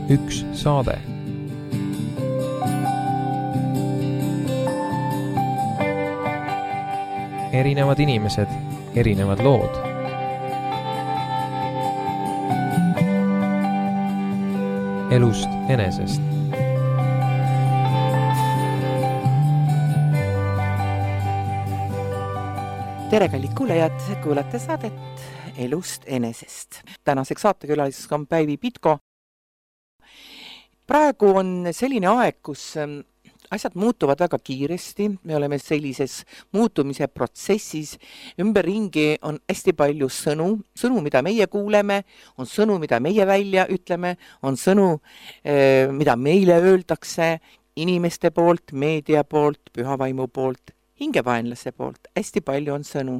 üks saade. Erinevad inimesed, erinevad lood. Elust enesest. Tere, kallid kuulajad, kuulate saadet Elust enesest. Tänaseks saatekülaliseks on Päivi Pitko. Praegu on selline aeg, kus asjad muutuvad väga kiiresti. Me oleme sellises muutumise protsessis. Ümberringi on hästi palju sõnu, mida meie kuuleme, on sõnu, mida meie välja ütleme, on sõnu, mida meile öeldakse inimeste poolt, meedia poolt, pühavaimu poolt, hingevaenlase poolt. Hästi palju on sõnu.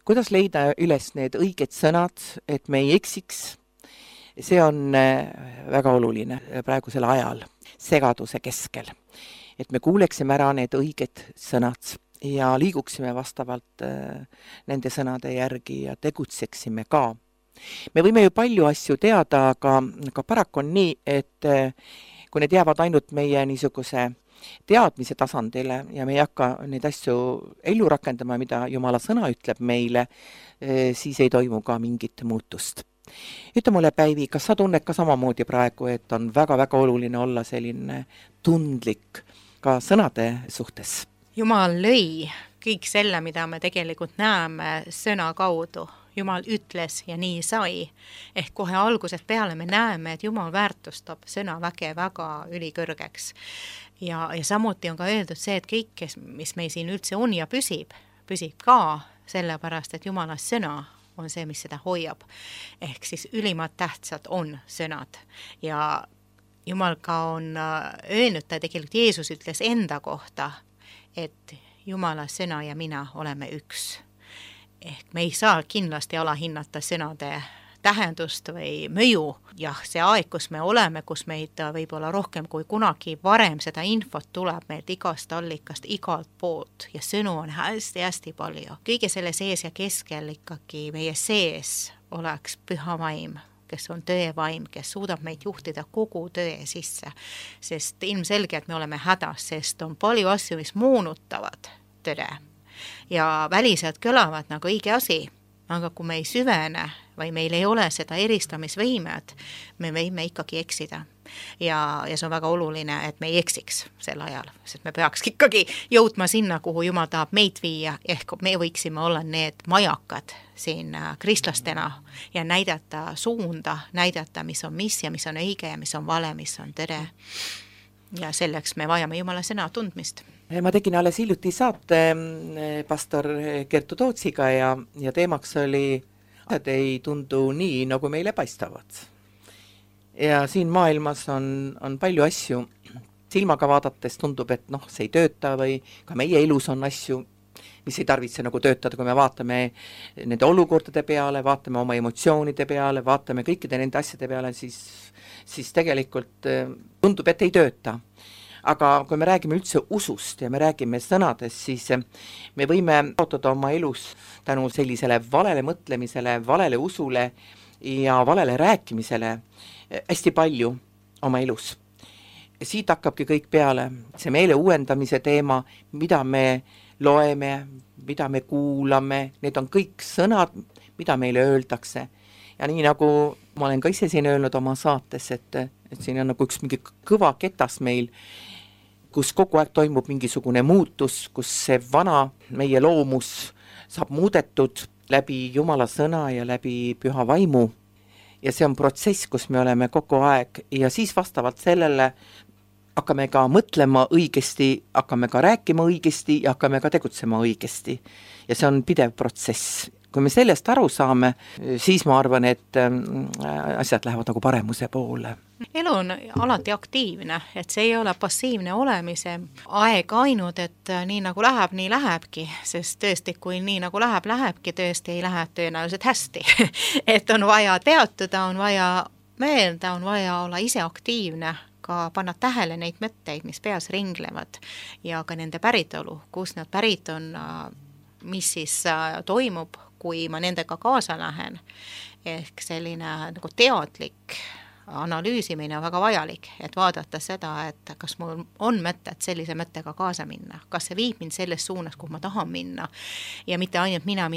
Kuidas leida üles need õiged sõnad, et me ei eksiks? See on väga oluline praegusel ajal, segaduse keskel. Et me kuuleksime ära need õiged sõnad ja liiguksime vastavalt nende sõnade järgi ja tegutseksime ka. Me võime ju palju asju teada, aga paraku on nii, et kui need jäävad ainult meie niisuguse teadmise tasandile ja me ei hakka neid asju ellu rakendama, mida Jumala sõna ütleb meile, siis ei toimu ka mingit muutust. Ütle mulle, Päivi, kas sa tunned ka samamoodi praegu, et on väga-väga oluline olla selline tundlik ka sõnade suhtes? Jumal lõi kõik selle, mida me tegelikult näeme sõna kaudu. Jumal ütles ja nii sai. Ehk kohe algusest peale me näeme, et Jumal väärtustab sõnaväge väga ülikõrgeks. Ja samuti on ka öeldud see, et kõik, mis meil siin üldse on ja püsib ka sellepärast, et Jumala sõna on see, mis seda hoiab. Ehk siis ülimad tähtsad on sõnad. Ja Jumal ka on öelnud, ta tegelikult Jeesus ütles enda kohta, et Jumala sõna ja mina oleme üks. Ehk me ei saa kindlasti alahinnata sõnade tähendust või mõju. Jah, see aeg, kus me oleme, kus meid võib-olla rohkem kui kunagi varem seda infot tuleb meilt igast allikast, igalt poolt ja sõnu on hästi-hästi palju. Kõige selle sees ja keskel ikkagi meie sees oleks püha vaim, kes on tõevaim, kes suudab meid juhtida kogu tõe sisse. Sest ilmselgelt me oleme hädas, sest on palju asju, mis moonutavad tõde. Ja väliselt kõlavad nagu õige asi, aga kui me ei süvene või meil ei ole seda eristamisvõimet, me võime ikkagi eksida. Ja see on väga oluline, et me ei eksiks sel ajal, sest me peaks ikkagi jõudma sinna, kuhu Jumal tahab meid viia, ehk me võiksime olla need majakad siin kristlastena ja näidata suunda, näidata, mis on mis ja mis on õige ja mis on vale, mis on tõde. Ja selleks me vajame Jumala sõna tundmist. Ma tegin alles hiljuti saate pastor Kertu Tootsiga ja teemaks oli, et ei tundu nii, nagu meile paistavad. Ja siin maailmas on palju asju. Silmaga vaadates tundub, et see ei tööta või ka meie elus on asju, mis ei tarvitse nagu töötada, kui me vaatame nende olukordade peale, vaatame oma emotsioonide peale, vaatame kõikide nende asjade peale, siis tegelikult tundub, et ei tööta. Aga kui me räägime üldse usust ja me räägime sõnadest, siis me võime kaotada oma elus tänu sellisele valele mõtlemisele, valele usule ja valele rääkimisele hästi palju oma elus. Siit hakkabki kõik peale, see meele uuendamise teema, mida me loeme, mida me kuulame, need on kõik sõnad, mida meile öeldakse. Ja nii nagu ma olen ka ise siin öelnud oma saates, et siin on nagu üks mingi kõva ketas meil, kus kogu aeg toimub mingisugune muutus, kus see vana meie loomus saab muudetud läbi Jumala sõna ja läbi püha vaimu. Ja see on protsess, kus me oleme kogu aeg ja siis vastavalt sellele hakkame ka mõtlema õigesti, hakkame ka rääkima õigesti ja hakkame ka tegutsema õigesti. Ja see on pidev protsess. Kui me sellest aru saame, siis ma arvan, et asjad lähevad nagu paremuse poole. Elu on alati aktiivne, et see ei ole passiivne olemise aeg ainult, et nii nagu läheb, nii lähebki, sest tõesti, kui nii nagu lähebki, tõesti ei lähe tõenäoliselt hästi. Et on vaja teatada, on vaja meelda, on vaja olla ise aktiivne, ka panna tähele neid mõtteid, mis peas ringlevad ja ka nende päritolu, kus nad pärit on, mis siis toimub, kui ma nendega kaasa lähen. Ehk selline nagu teadlik analüüsimine on väga vajalik, et vaadata seda, et kas mul on mõtet sellise mõttega kaasa minna, kas see viib mind selles suunas, kuhu ma tahan minna ja mitte ainult mina,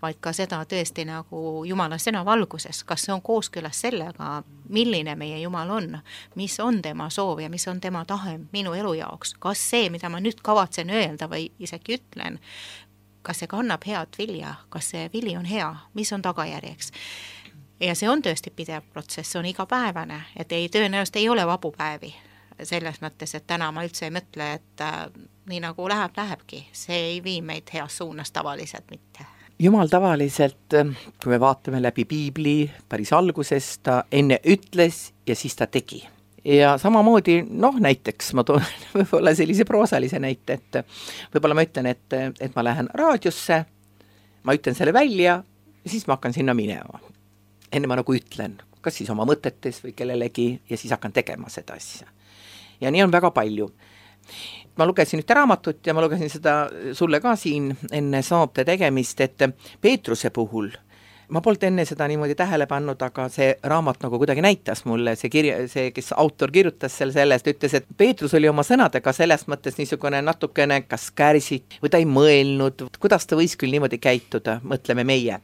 vaid ka seda tõesti nagu Jumala sõna valguses, kas see on kooskõlas sellega, milline meie Jumal on, mis on tema soov ja mis on tema tahe minu elu jaoks, kas see, mida ma nüüd kavatsen öelda või isegi ütlen, kas see kannab head vilja, kas see vili on hea, mis on tagajärjeks. Ja see on tõesti pidev protsess, see on igapäevane, et tõenäoliselt ei ole vabu päevi selles mõttes, et täna ma üldse ei mõtle, et nii nagu lähebki, see ei vii meid heas suunas tavaliselt mitte. Jumal tavaliselt, kui me vaatame läbi piibli päris algusest, ta enne ütles ja siis ta tegi. Ja samamoodi, näiteks ma toon võib-olla sellise proosalise näite, et võib-olla ma ütlen, et ma lähen raadiosse, ma ütlen selle välja ja siis ma hakkan sinna minema. Enne ma nagu ütlen, kas siis oma mõtetes või kellelegi ja siis hakkan tegema seda asja. Ja nii on väga palju. Ma lugesin ühte raamatut ja ma lugesin seda sulle ka siin enne saate tegemist, et Peetruse puhul, ma polnud enne seda niimoodi tähele pannud, aga see raamat nagu kuidagi näitas mulle, see kes autor kirjutas sellest, ütles, et Peetrus oli oma sõnadega selles mõttes niisugune natukene kas kärsid või ta ei mõelnud, kuidas ta võis küll niimoodi käituda, mõtleme meie.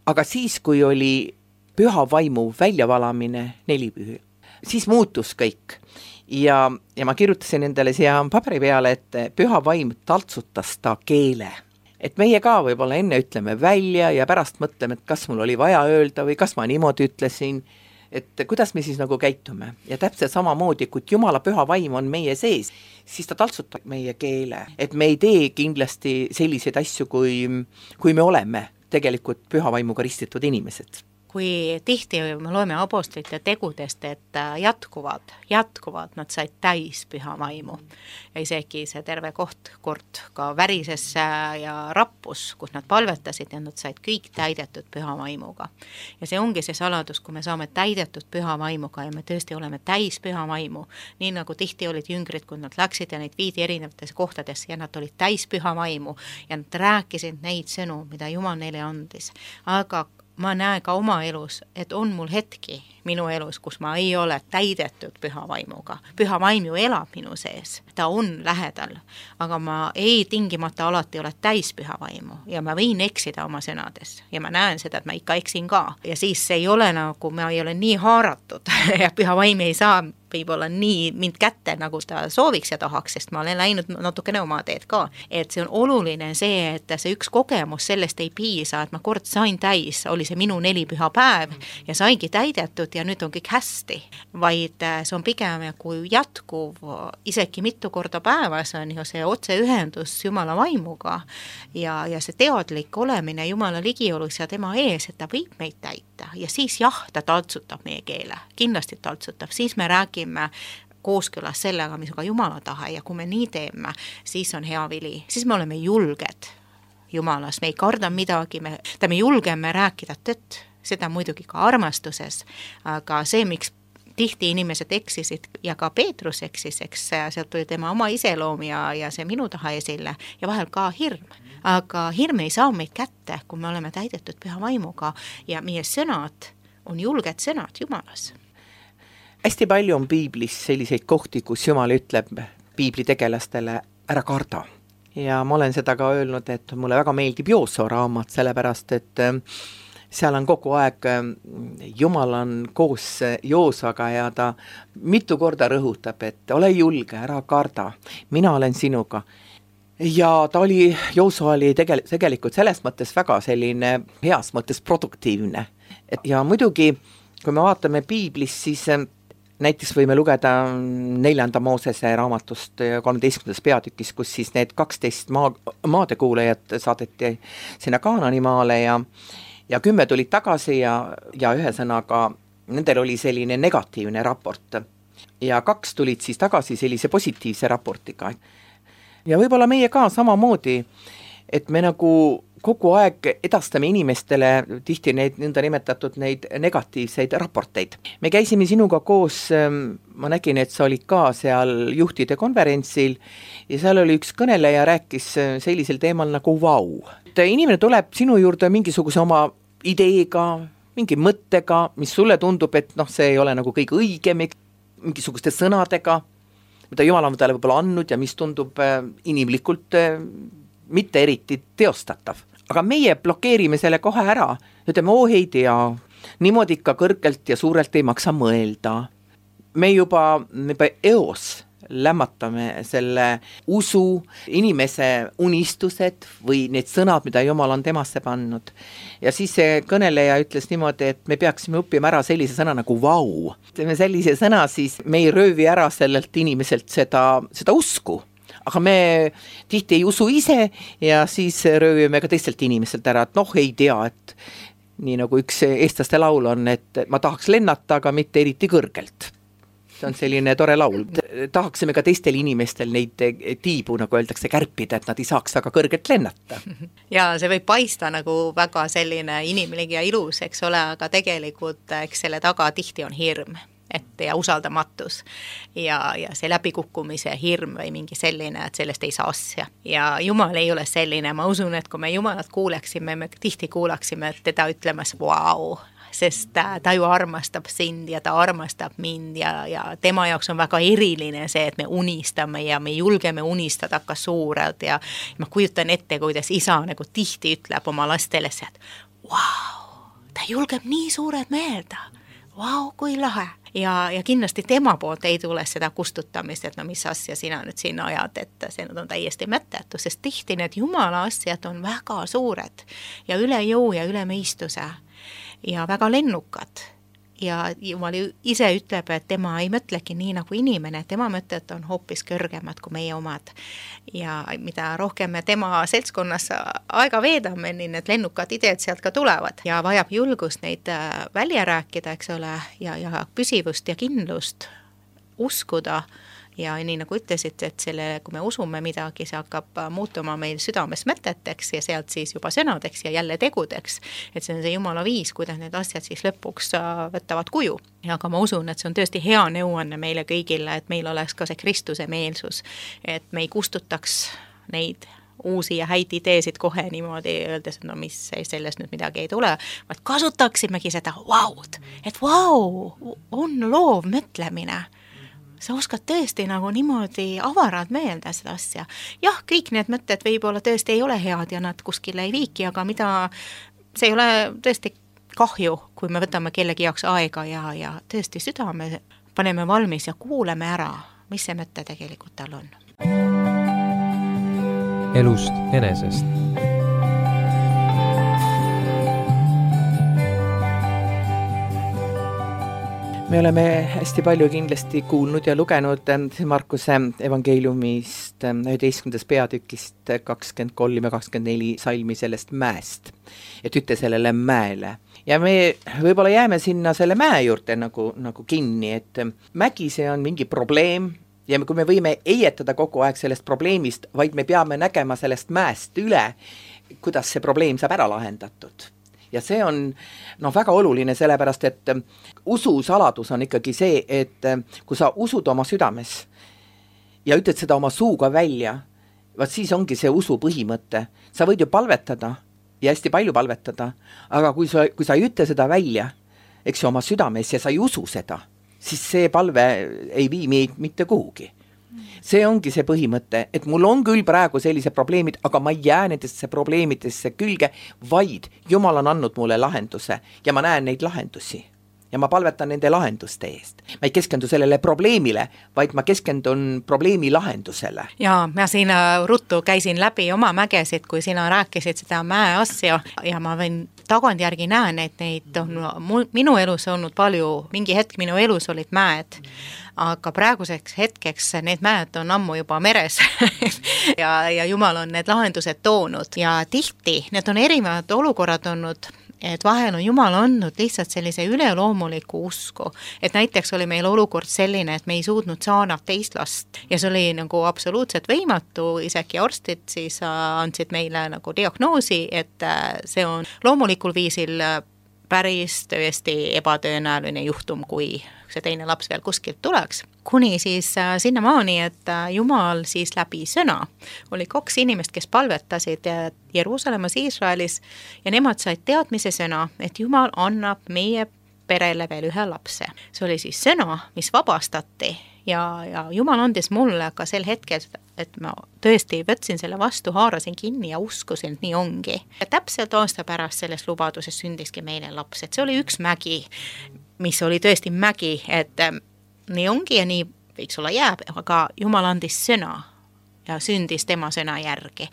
Aga siis, kui oli püha vaimu väljavalamine 4 pühi, siis muutus kõik. Ja ma kirjutasin endale siia paberi peale, et püha vaim taltsutas ta keele. Et meie ka võib-olla enne ütleme välja ja pärast mõtleme, et kas mul oli vaja öelda või kas ma niimoodi ütlesin, et kuidas me siis nagu käitume. Ja täpselt samamoodi, kui Jumala püha vaim on meie sees, siis ta taltsutab meie keele. Et me ei tee kindlasti selliseid asju, kui me oleme tegelikult püha vaimuga ristitud inimesed. Kui tihti me loeme apostlite tegudest, et jätkuvalt nad said täis püha vaimu. Ja isegi see terve kord ka värises ja rappus, kus nad palvetasid ja nad said kõik täidetud püha vaimuga. Ja see ongi see saladus, kui me saame täidetud püha vaimuga ja me tõesti oleme täis püha vaimu, nii nagu tihti olid jüngrid, kui nad läksid ja neid viidi erinevates kohtades ja nad olid täis püha vaimu ja nad rääkisid neid sõnu, mida Jumal neile andis. Aga ma näen ka oma elus, et on mul hetki minu elus, kus ma ei ole täidetud püha vaimuga. Püha vaim ju elab minu sees, ta on lähedal, aga ma ei tingimata alati ole täis püha vaimu ja ma võin eksida oma sõnades ja ma näen seda, et ma ikka eksin ka. Ja siis ei ole nagu, ma ei ole nii haaratud ja püha vaim ei saa võib-olla nii mind kätte, nagu ta sooviks ja tahaks, sest ma olen läinud natukene oma teed ka. Et see on oluline see, et see üks kogemus sellest ei piisa, et ma kord sain täis, oli see minu 4 püha päev ja saigi täidetud ja nüüd on kõik hästi, vaid see on pigem kui jätkuv, isegi mitu korda päevas on ju see otseühendus Jumala vaimuga ja see teadlik olemine Jumala ligiolus ja tema ees, et ta võib meid täita ja siis jah, ta taltsutab meie keele, kindlasti taltsutab, siis me räägime kooskõlas sellega, mis on ka Jumala tahe ja kui me nii teeme, siis on hea vili, siis me oleme julged Jumalas, me ei karda midagi, me julgeme rääkida tõtt, seda muidugi ka armastuses, aga see, miks tihti inimesed eksisid ja ka Peetrus eksis, eks sealt tuli tema oma iseloom ja see minu taha esile ja vahel ka hirm. Aga hirm ei saa meid kätte, kui me oleme täidetud püha vaimuga ja meie sõnad on julged sõnad Jumalas. Hästi palju on piiblis selliseid kohti, kus Jumal ütleb piibli tegelastele ära karda. Ja ma olen seda ka öelnud, et mulle väga meeldib Jooso raamat, sellepärast, et seal on kogu aeg, Jumal on koos Joosaga ja ta mitu korda rõhutab, et ole julge, ära karda, mina olen sinuga. Ja Jooso oli tegelikult selles mõttes väga selline heas mõttes produktiivne. Ja muidugi, kui me vaatame piiblis, siis näiteks võime lugeda 4. Moosese raamatust 13. peatükis, kus siis need 12 maadekuulajat saadeti sinna Kaanani maale ja 10 tulid tagasi ja ühesõnaga nendel oli selline negatiivne raport. Ja 2 tulid siis tagasi sellise positiivse raportiga. Ja võib-olla meie ka samamoodi, et me nagu kogu aeg edastame inimestele tihti neid nõnda nimetatud neid negatiivseid raporteid. Me käisime sinuga koos, ma nägin, et sa olid ka seal juhtide konverentsil ja seal oli üks kõneleja rääkis sellisel teemal nagu vau. Inimene tuleb sinu juurde mingisuguse oma ideega, mingi mõttega, mis sulle tundub, et see ei ole nagu kõige õigem, mingisuguste sõnadega, mida Jumal on talle võib-olla andnud ja mis tundub inimlikult mitte eriti teostatav. Aga meie blokeerime selle kohe ära, ütleme, ei tea, niimoodi ikka kõrgelt ja suurelt ei maksa mõelda. Me juba eos lämmatame selle usu, inimese unistused või need sõnad, mida Jumal on temasse pannud. Ja siis see kõneleja ütles niimoodi, et me peaksime õppima ära sellise sõna nagu vau. Ütleme sellise sõna, siis me ei röövi ära sellelt inimeselt seda usku. Aga me tihti ei usu ise ja siis röövime ka teistelt inimeselt ära, et ei tea, et nii nagu üks eestlaste laul on, et ma tahaks lennata, aga mitte eriti kõrgelt. See on selline tore laul. Tahaksime ka teistel inimestel neid tiibu, nagu öeldakse, kärpida, et nad ei saaks väga kõrgelt lennata. Ja see võib paista nagu väga selline inimlik ja ilus, eks ole, aga tegelikult eks selle taga tihti on hirm ja usaldamatus ja see läbikukkumise hirm või mingi selline, et sellest ei saa asja. Ja Jumal ei ole selline, ma usun, et kui me Jumalat kuuleksime, me tihti kuulaksime teda ütlemas vau, sest ta ju armastab sind ja ta armastab mind ja tema jaoks on väga eriline see, et me unistame ja me julgeme unistada ka suurelt ja ma kujutan ette, kuidas isa nagu tihti ütleb oma lastele see, et vau, ta julgeb nii suured meelda, vau, kui lahe. Ja kindlasti tema poolt ei tule seda kustutamist, et mis asja sina nüüd sinna ajad, et see on täiesti mõttetu, sest tihti need Jumala asjad on väga suured ja üle jõu ja üle mõistuse ja väga lennukad. Ja Jumal ise ütleb, et tema ei mõtlegi nii nagu inimene, tema mõtted on hoopis kõrgemad kui meie omad. Ja mida rohkem me tema seltskonnas aega veedame, nii need lennukad ideed sealt ka tulevad. Ja vajab julgust neid välja rääkida, eks ole, ja püsivust ja kindlust uskuda. Ja nii nagu ütlesid, et kui me usume midagi, see hakkab muutuma meil südames mõteteks ja sealt siis juba sõnadeks ja jälle tegudeks. Et see on see Jumala viis, kuidas need asjad siis lõpuks võtavad kuju. Aga ma usun, et see on tõesti hea nõuanne meile kõigile, et meil oleks ka see Kristuse meelsus, et me ei kustutaks neid uusi ja häid ideesid kohe niimoodi öeldes, et mis sellest nüüd midagi ei tule, vaid kasutaksimegi seda vaud, et vau, on loov mõtlemine. Sa oskad tõesti nagu niimoodi avarad meelda seda asja. Jah, kõik need mõtted võib-olla tõesti ei ole head ja nad kuskile ei viiki, aga see ei ole tõesti kahju, kui me võtame kellegi jaoks aega ja tõesti südame paneme valmis ja kuuleme ära, mis see mõte tegelikult tal on. Elust enesest. Me oleme hästi palju kindlasti kuulnud ja lugenud Markuse evangeeliumist 11. peatükist 23 ja 24 salmi sellest mäest, et ütle sellele mäele. Ja me võib-olla jääme sinna selle mäe juurde nagu kinni, et mägi see on mingi probleem ja kui me võime eietada kogu aeg sellest probleemist, vaid me peame nägema sellest mäest üle, kuidas see probleem saab ära lahendatud. Ja see on väga oluline, sellepärast, et usu saladus on ikkagi see, et kui sa usud oma südames ja ütled seda oma suuga välja, vaat siis ongi see usu põhimõte. Sa võid ju palvetada ja hästi palju palvetada, aga kui sa ei ütle seda välja, eks ju oma südames ja sa ei usu seda, siis see palve ei vii meid mitte kuhugi. See ongi see põhimõte, et mul on küll praegu sellised probleemid, aga ma ei jää nendesse probleemidesse külge, vaid Jumal on andnud mulle lahenduse ja ma näen neid lahendusi ja ma palvetan nende lahenduste eest. Ma ei keskendu sellele probleemile, vaid ma keskendun probleemi lahendusele. Ja ma siin ruttu käisin läbi oma mägesid, kui sina rääkisid seda mäe asja ja ma võin tagantjärgi näen, et neid on minu elus olnud palju, mingi hetk minu elus olid mäed, aga praeguseks hetkeks need mäed on ammu juba meres ja Jumal on need lahendused toonud ja tihti need on erinevad olukorrad olnud, et vahel on Jumal andnud lihtsalt sellise üleloomuliku usku, et näiteks oli meil olukord selline, et me ei suutnud saada teist last ja see oli nagu absoluutselt võimatu, isegi arstid siis andsid meile nagu diagnoosi, et see on loomulikul viisil päris tõesti ebatõenäoline juhtum, kui see teine laps veel kuskilt tuleks. Kuni siis sinnamaani, et Jumal siis läbi sõna. Oli 2 inimest, kes palvetasid Jeruusalemmas, Iisraelis ja nemad said teadmise sõna, et Jumal annab meie perele veel ühe lapse. See oli siis sõna, mis vabastati ja Jumal andis mulle ka sel hetkel, et ma tõesti võtsin selle vastu, haarasin kinni ja uskusin, et nii ongi. Ja täpselt aasta pärast selles lubaduses sündiski meile laps, et see oli üks mägi, mis oli tõesti mägi, et nii ongi ja nii võiks olla jääb, aga Jumal andis sõna ja sündis tema sõna järgi.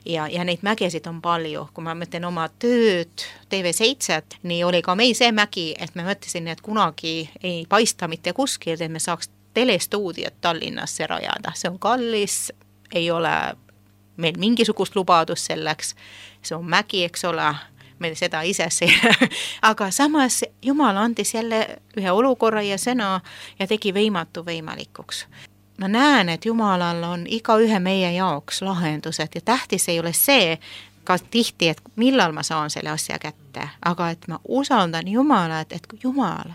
Ja neid mägesid on palju. Kui ma mõtlen oma tööd TV7, nii oli ka meil see mägi, et me mõtlesin, et kunagi ei paista mitte kuskil, et me saaks telestuudiot Tallinnasse rajada. See on kallis, ei ole meil mingisugust lubadust selleks. See on mägi, eks ole, meil seda ise aga samas Jumal andis jälle ühe olukorra ja sõna ja tegi võimatu võimalikuks. Ma näen, et Jumalal on iga ühe meie jaoks lahendused ja tähtis ei ole see, ka tihti, et millal ma saan selle asja kätte, aga et ma usaldan Jumalat, et Jumal,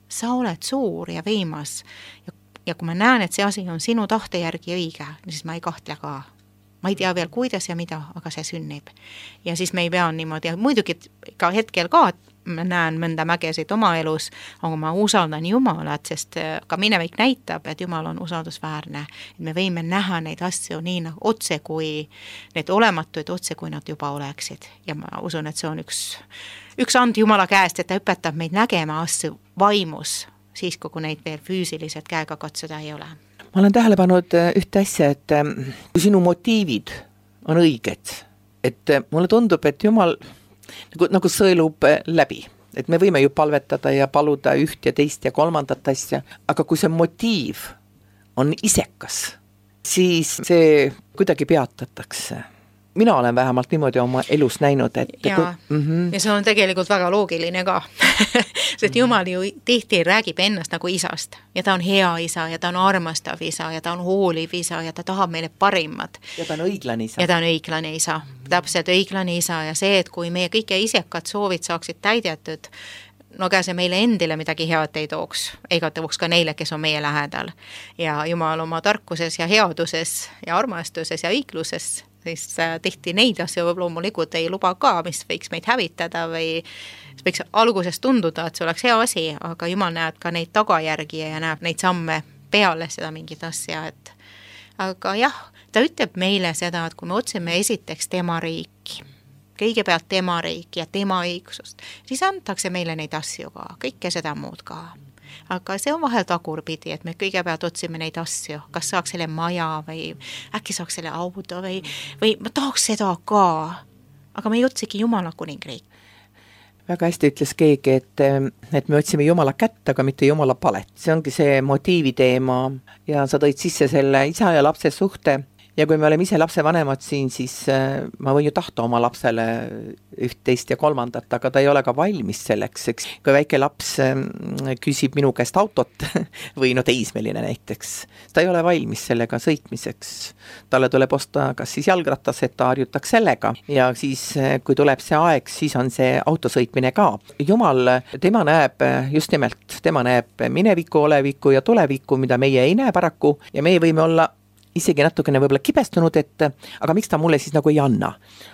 sa oled suur ja võimas ja kui ma näen, et see asi on sinu tahte järgi õige, siis ma ei kahtle ka. Ma ei tea veel, kuidas ja mida, aga see sünnib. Ja siis me ei pea niimoodi, muidugi ka hetkel ka, ma näen mõnda mägesid oma elus, aga ma usaldan Jumalat, sest ka minevik näitab, et Jumal on usaldusväärne. Et me võime näha neid asju nii nagu otse kui need olematuid otse, kui nad juba oleksid. Ja ma usun, et see on üks and Jumala käest, et ta õpetab meid nägema asju vaimus, siis kui neid veel füüsiliselt käega katsuda ei ole. Ma olen tähele pannud ühte asja, et kui sinu motiivid on õiged, et mulle tundub, et Jumal nagu sõelub läbi. Et me võime ju palvetada ja paluda üht ja teist ja kolmandat asja, aga kui see motiiv on isekas, siis see kuidagi peatatakse. Mina olen vähemalt niimoodi oma elus näinud, et ja see on tegelikult väga loogiline ka. Sest Jumal ju tihti räägib ennast nagu isast ja ta on hea isa ja ta on armastav isa ja ta on hooliv isa ja ta tahab meile parimat. Ja ta on õiglane isa. Ja ta on õiglane isa. Täpselt õiglane isa ja see, et kui meie kõige isekad soovid saaksid täidetud, no ega see meile endile midagi head ei tooks, ega tooks ka neile, kes on meie lähedal. Ja Jumal oma tarkuses ja headuses ja armastuses ja õigluses siis tihti neid asju loomulikult ei luba ka, mis võiks meid hävitada või võiks alguses tunduda, et see oleks hea asi, aga Jumal näeb ka neid tagajärgi ja näeb neid samme peale seda mingit asja, et aga jah, ta ütleb meile seda, et kui me otsime esiteks tema riiki, kõigepealt tema riiki ja tema õigsust, siis antakse meile neid asju ka, kõike seda muud ka. Aga see on vahel tagurpidi, et me kõigepealt otsime neid asju, kas saaks selle maja või äkki saaks selle auto või ma tahaks seda ka, aga me ei otsigi Jumala kuningriik. Väga hästi ütles keegi, et me otsime Jumala kätt, aga mitte Jumala palet. See ongi see motiivi teema ja sa tõid sisse selle isa ja lapse suhte. Ja kui me oleme ise lapsevanemad siin, siis ma võin ju tahta oma lapsele üht, teist ja kolmandat, aga ta ei ole ka valmis selleks, eks. Kui väike laps küsib minu käest autot või teismeline näiteks, ta ei ole valmis sellega sõitmiseks. Talle tuleb osta kas siis jalgratas, et ta harjutaks sellega ja siis, kui tuleb see aeg, siis on see autosõitmine ka. Jumal, tema näeb just nimelt, tema näeb mineviku, oleviku ja tuleviku, mida meie ei näe paraku ja meie võime olla isegi natukene võib-olla kibestunud, et aga miks ta mulle siis nagu ei anna.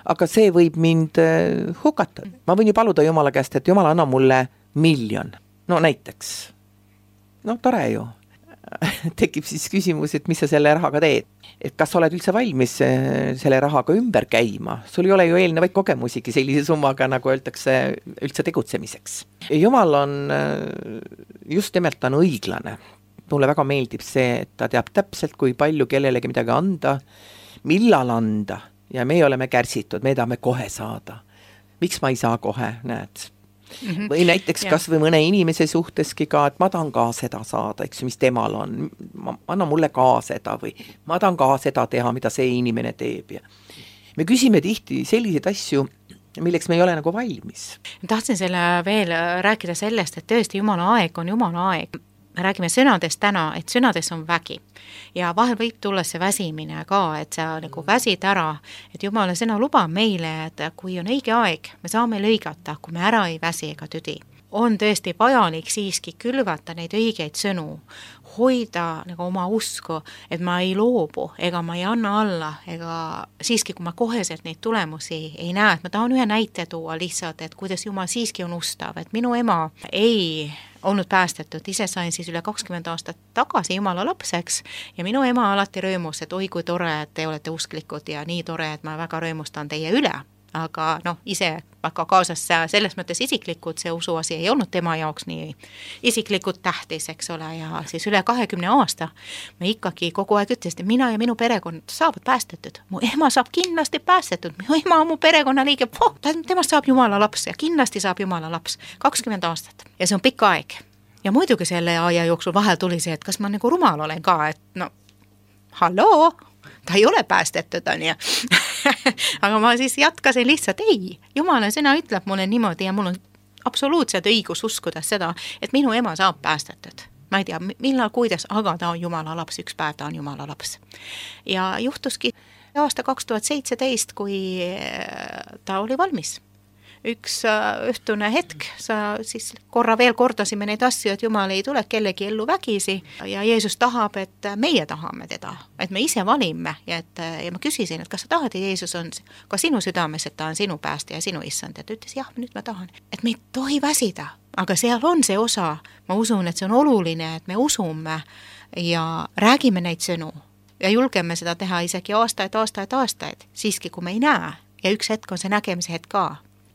Aga see võib mind hukata. Ma võin ju paluda Jumala käest, et Jumal anna mulle 1 miljon. No näiteks. No tore ju. Tekib siis küsimus, et mis sa selle rahaga teed. Et kas sa oled üldse valmis selle rahaga ümber käima? Sul ei ole ju eelnevaid kogemusigi sellise summaga, nagu öeldakse, üldse tegutsemiseks. Jumal on just nimelt on õiglane. Mulle väga meeldib see, et ta teab täpselt, kui palju kellelegi midagi anda, millal anda ja me oleme kärsitud, me tahame kohe saada. Miks ma ei saa kohe, näed? Või näiteks kas või mõne inimese suhteski ka, et ma tahan ka seda saada, eks, mis temal on. Anna mulle ka seda või ma tahan ka seda teha, mida see inimene teeb. Ja me küsime tihti selliseid asju, milleks me ei ole nagu valmis. Tahtsin selle veel rääkida sellest, et tõesti Jumala aeg on Jumala aeg. räägime sõnadest täna, et sõnades on vägi ja vahel võib tulla see väsimine ka, et sa nagu väsid ära, et Jumala sõna lubab meile, et kui on õige aeg, me saame lõigata, kui me ära ei väsi ega tüdi. On tõesti vajalik siiski külvata neid õigeid sõnu, hoida nagu oma usku, et ma ei loobu ega ma ei anna alla, ega siiski, kui ma koheselt neid tulemusi ei näe, et ma tahan ühe näite tuua lihtsalt, et kuidas Jumal siiski on ustav, et minu ema ei olnud päästetud, ise sain siis üle 20 aastat tagasi Jumala lapseks ja minu ema alati rõõmus, et oi kui tore, et te olete usklikud ja nii tore, et ma väga rõõmustan teie üle. Aga ise väga kaasas selles mõttes isiklikult see usuasi ei olnud tema jaoks nii isiklikult tähtis, eks ole, ja siis üle 20 aasta me ikkagi kogu aeg ütlesid, et mina ja minu perekond saavad päästetud. Mu ema saab kindlasti päästetud, mu ema on mu perekonnaliige, temast saab Jumala laps ja kindlasti saab Jumala laps 20 aastat. Ja see on pikk aeg. Ja muidugi selle aja jooksul vahel tuli see, et kas ma nagu rumal olen ka, et halloo, ta ei ole päästetud, on ju. Aga ma siis jatkasin lihtsalt, ei, Jumala sõna ütleb mulle niimoodi ja mul on absoluutselt õigus uskuda seda, et minu ema saab päästetud. Ma ei tea, millal, kuidas, aga ta on Jumala laps, üks päev ta on Jumala laps. Ja juhtuski aasta 2017, kui ta oli valmis. Üks õhtune hetk, sa siis korra veel kordasime neid asju, et Jumal ei tule kellegi ellu vägisi ja Jeesus tahab, et meie tahame teda, et me ise valime ja ma küsisin, et kas sa tahad, et Jeesus on ka sinu südames, et ta on sinu päästja ja sinu issand, ja ta ütles, jah, nüüd ma tahan, et me ei tohi väsida, aga seal on see osa, ma usun, et see on oluline, et me usume ja räägime neid sõnu ja julgeme seda teha isegi aastaid, siiski kui me ei näe ja üks hetk on see nägemise hetk ka.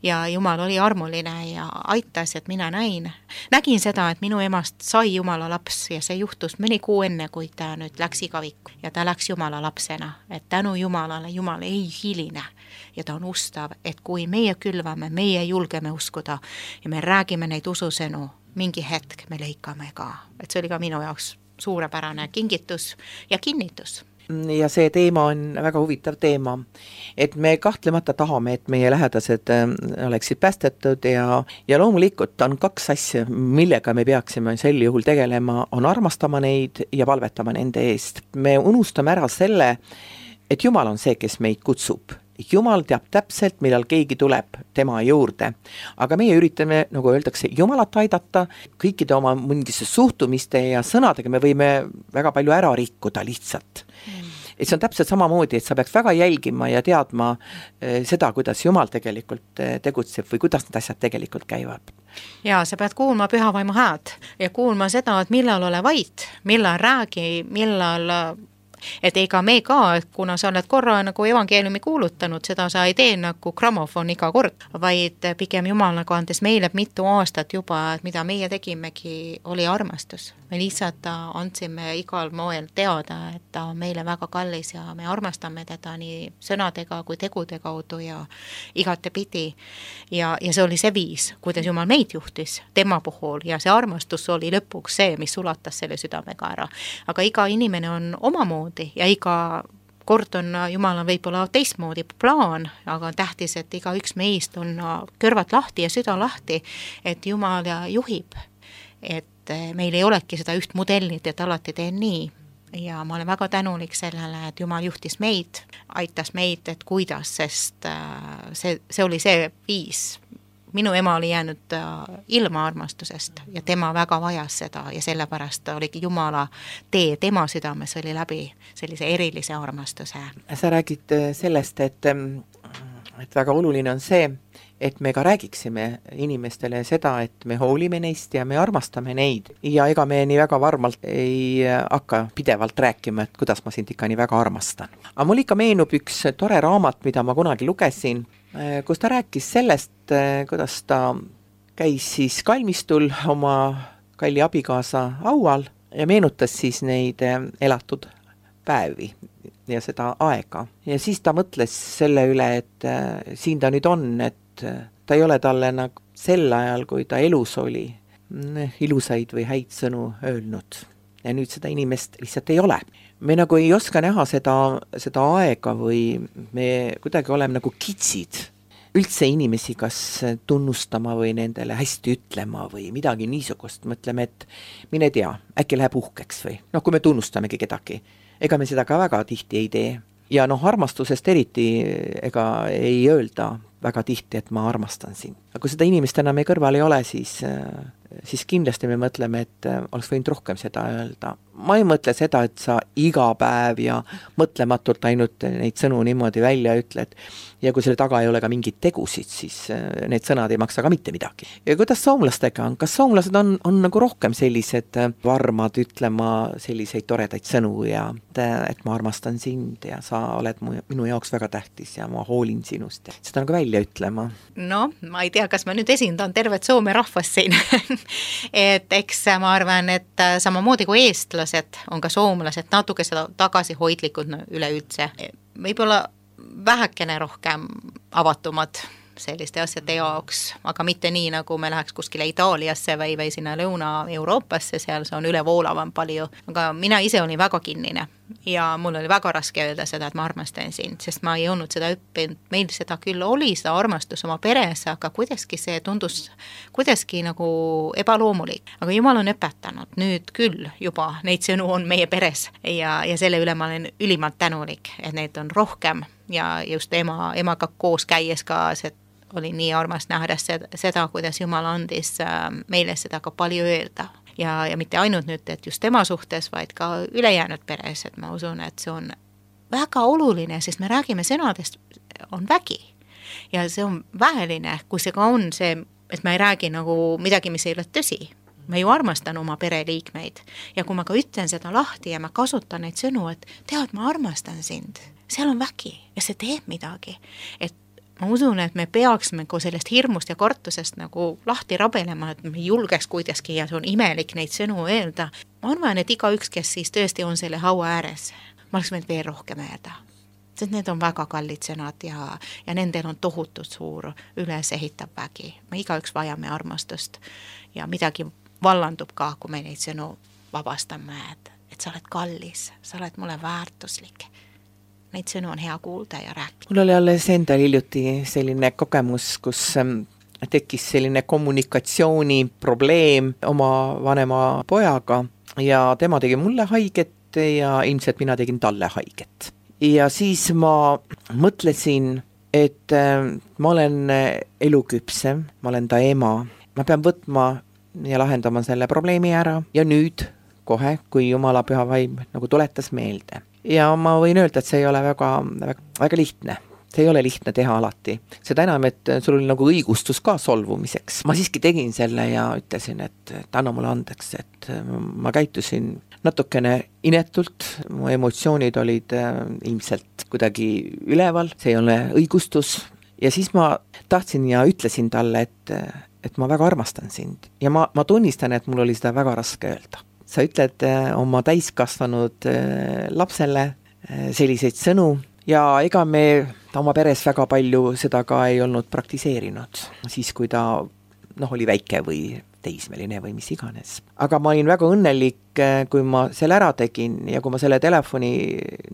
Ja Jumal oli armuline ja aitas, et mina nägin seda, et minu emast sai Jumala laps ja see juhtus mõni kuu enne, kui ta nüüd läks igavikku ja ta läks Jumala lapsena, et tänu Jumalale Jumal ei hiline ja ta on ustav, et kui meie külvame, meie julgeme uskuda ja me räägime neid ususõnu, mingi hetk me lõikame ka, et see oli ka minu jaoks suurepärane kingitus ja kinnitus. Ja see teema on väga huvitav teema, et me kahtlemata tahame, et meie lähedased oleksid päästetud ja loomulikult on kaks asja, millega me peaksime sel juhul tegelema, on armastama neid ja palvetama nende eest. Me unustame ära selle, et Jumal on see, kes meid kutsub. Jumal teab täpselt, millal keegi tuleb tema juurde, aga meie üritame, nagu öeldakse, Jumalat aidata, kõikide oma mingisse suhtumiste ja sõnadega me võime väga palju ära rikkuda lihtsalt. Et see on täpselt samamoodi, et sa peaks väga jälgima ja teadma seda, kuidas Jumal tegelikult tegutseb või kuidas need asjad tegelikult käivad. Ja sa pead kuulma pühavaimu hääd ja kuulma seda, et millal ole vait, millal räägi, millal et ega me ka, kuna sa oled korra nagu evangeeliumi kuulutanud, seda sa ei tee nagu grammofon iga kord, vaid pigem Jumal nagu andes meile mitu aastat juba, et mida meie tegimegi, oli armastus. Me lihtsalt andsime igal moel teada, et ta on meile väga kallis ja me armastame teda nii sõnadega kui tegude kaudu ja igatepidi. Ja see oli see viis, kuidas Jumal meid juhtis tema puhul ja see armastus oli lõpuks see, mis ulatas selle südamega ära. Aga iga inimene on omamoodi ja iga kord on Jumalal võib-olla teistmoodi plaan, aga on tähtis, et iga üks meist on kõrvad lahti ja süda lahti, et Jumal juhib, et meil ei olegi seda üht modellit, et alati teen nii. Ja ma olen väga tänulik sellele, et Jumal juhtis meid, aitas meid, et kuidas, sest see oli see viis. Minu ema oli jäänud ilma armastusest ja tema väga vajas seda ja sellepärast oligi Jumala tee tema südames oli läbi sellise erilise armastuse. Sa räägid sellest, et väga oluline on see, et me ka räägiksime inimestele seda, et me hoolime neist ja me armastame neid. Ja ega me nii väga varmalt ei hakka pidevalt rääkima, et kuidas ma sind ikka nii väga armastan. Aga mul ikka meenub üks tore raamat, mida ma kunagi lugesin, kus ta rääkis sellest, kuidas ta käis siis kalmistul oma kalli abikaasa aual ja meenutas siis neid elatud päevi ja seda aega. Ja siis ta mõtles selle üle, et siin ta nüüd on, et ta ei ole talle nagu sel ajal, kui ta elus oli, ilusaid või häid sõnu öelnud. Ja nüüd seda inimest lihtsalt ei ole. Me nagu ei oska näha seda aega või me kuidagi oleme nagu kitsid üldse inimesi kas tunnustama või nendele hästi ütlema või midagi niisugust, mõtleme, et mine tea, äkki läheb uhkeks või kui me tunnustamegi kedagi, ega me seda ka väga tihti ei tee. Ja armastusest eriti ega ei öelda väga tihti, et ma armastan sind. Aga kui seda inimest enam meie kõrval ei ole, siis kindlasti me mõtleme, et oleks võinud rohkem seda öelda. Ma ei mõtle seda, et sa iga päev ja mõtlematult ainult neid sõnu niimoodi välja ütled. Ja kui selle taga ei ole ka mingid tegusid, siis need sõnad ei maksa ka mitte midagi. Ja kuidas soomlastega on? Kas soomlased on nagu rohkem sellised varmad ütlema selliseid toredaid sõnu ja et ma armastan sind ja sa oled minu jaoks väga tähtis ja ma hoolin sinust. Seda nagu välja ütlema. No, ma ei tea, kas ma nüüd esindan tervet Soome rahvast siin. Et eks ma arvan, et samamoodi kui eestlased on ka soomlased natuke seda tagasihoidlikud üleüldse. Võib-olla vähekene rohkem avatumad selliste asjade jaoks, aga mitte nii, nagu me läheks kuskile Itaaliasse või sinna Lõuna-Euroopasse, seal see on ülevoolavam palju. Aga mina ise olin väga kinnine ja mul oli väga raske öelda seda, et ma armastan sind, sest ma ei olnud seda õppinud. Meil seda küll oli, seda armastus oma peres, aga kuidagi see tundus kuidagi nagu ebaloomulik. Aga Jumal on õpetanud nüüd küll juba, neid sõnu on meie peres ja selle üle ma olen ülimalt tänulik, et neid on rohkem ja just emaga koos käies ka see oli nii armas näha seda, kuidas Jumal andis meile seda ka palju öelda. Ja mitte ainult nüüd, et just tema suhtes, vaid ka ülejäänud peres, et ma usun, et see on väga oluline, sest me räägime sõnadest, on vägi. Ja see on väheline, kui see ka on see, et ma ei räägi nagu midagi, mis ei ole tõsi. Ma ju armastan oma pereliikmeid ja kui ma ka ütlen seda lahti ja ma kasutan neid sõnu, et tead, ma armastan sind, seal on vägi ja see teeb midagi, et ma usun, et me peaksime sellest hirmust ja kartusest nagu lahti rabelema, et me julgeks kuidagi ja see on imelik neid sõnu öelda. Ma arvan, et igaüks, kes siis tõesti on selle haua ääres, ma oleks võinud veel rohkem öelda. Sest need on väga kallid sõnad ja nendel on tohutult suur üles ehitav vägi. Me igaüks vajame armastust ja midagi vallandub ka, kui me neid sõnu vabastame, et sa oled kallis, sa oled mulle väärtuslik. Neid sõnu on hea kuulda ja rääkida. Mul oli alles endal hiljuti selline kogemus, kus tekkis selline kommunikatsiooni probleem oma vanema pojaga ja tema tegi mulle haiget ja ilmselt mina tegin talle haiget. Ja siis ma mõtlesin, et ma olen eluküpsem, ma olen ta ema, ma pean võtma ja lahendama selle probleemi ära ja nüüd kohe, kui Jumala püha vaim nagu tuletas meelde. Ja ma võin öelda, et see ei ole väga lihtne. See ei ole lihtne teha alati. Seda enam, et sul oli nagu õigustus ka solvumiseks. Ma siiski tegin selle ja ütlesin, et anna mulle andeks, et ma käitusin natukene inetult. Mu emotsioonid olid ilmselt kuidagi üleval. See ei ole õigustus. Ja siis ma tahtsin ja ütlesin talle, et ma väga armastan sind. Ja ma tunnistan, et mul oli seda väga raske öelda. Sa ütled oma täiskasvanud lapsele selliseid sõnu ja ega me oma peres väga palju seda ka ei olnud praktiseerinud, siis kui ta oli väike või teismeline või mis iganes. Aga ma olin väga õnnelik, kui ma selle ära tegin ja kui ma selle telefoni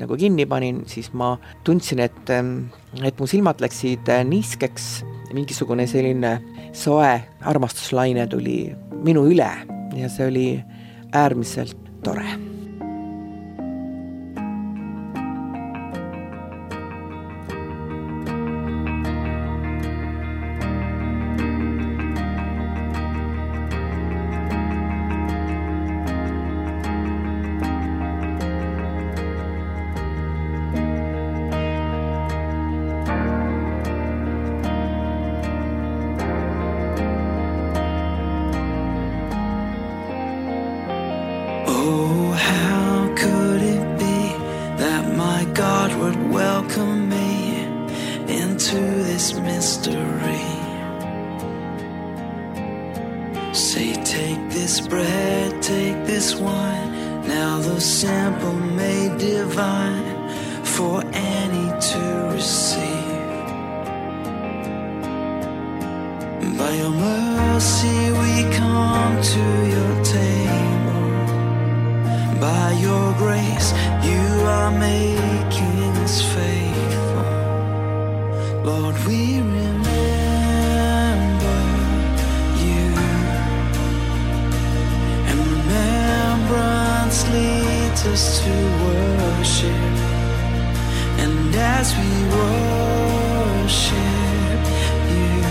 nagu kinni panin, siis ma tundsin, et mu silmad läksid niiskeks, mingisugune selline soe armastuslaine tuli minu üle ja see oli äärmiselt tore. Say, take this bread, take this wine, now the sample made divine for any to receive. By your mercy we come to your table. By your grace you are making us faithful Lord, we remember you, and remembrance leads us to worship, and as we worship you,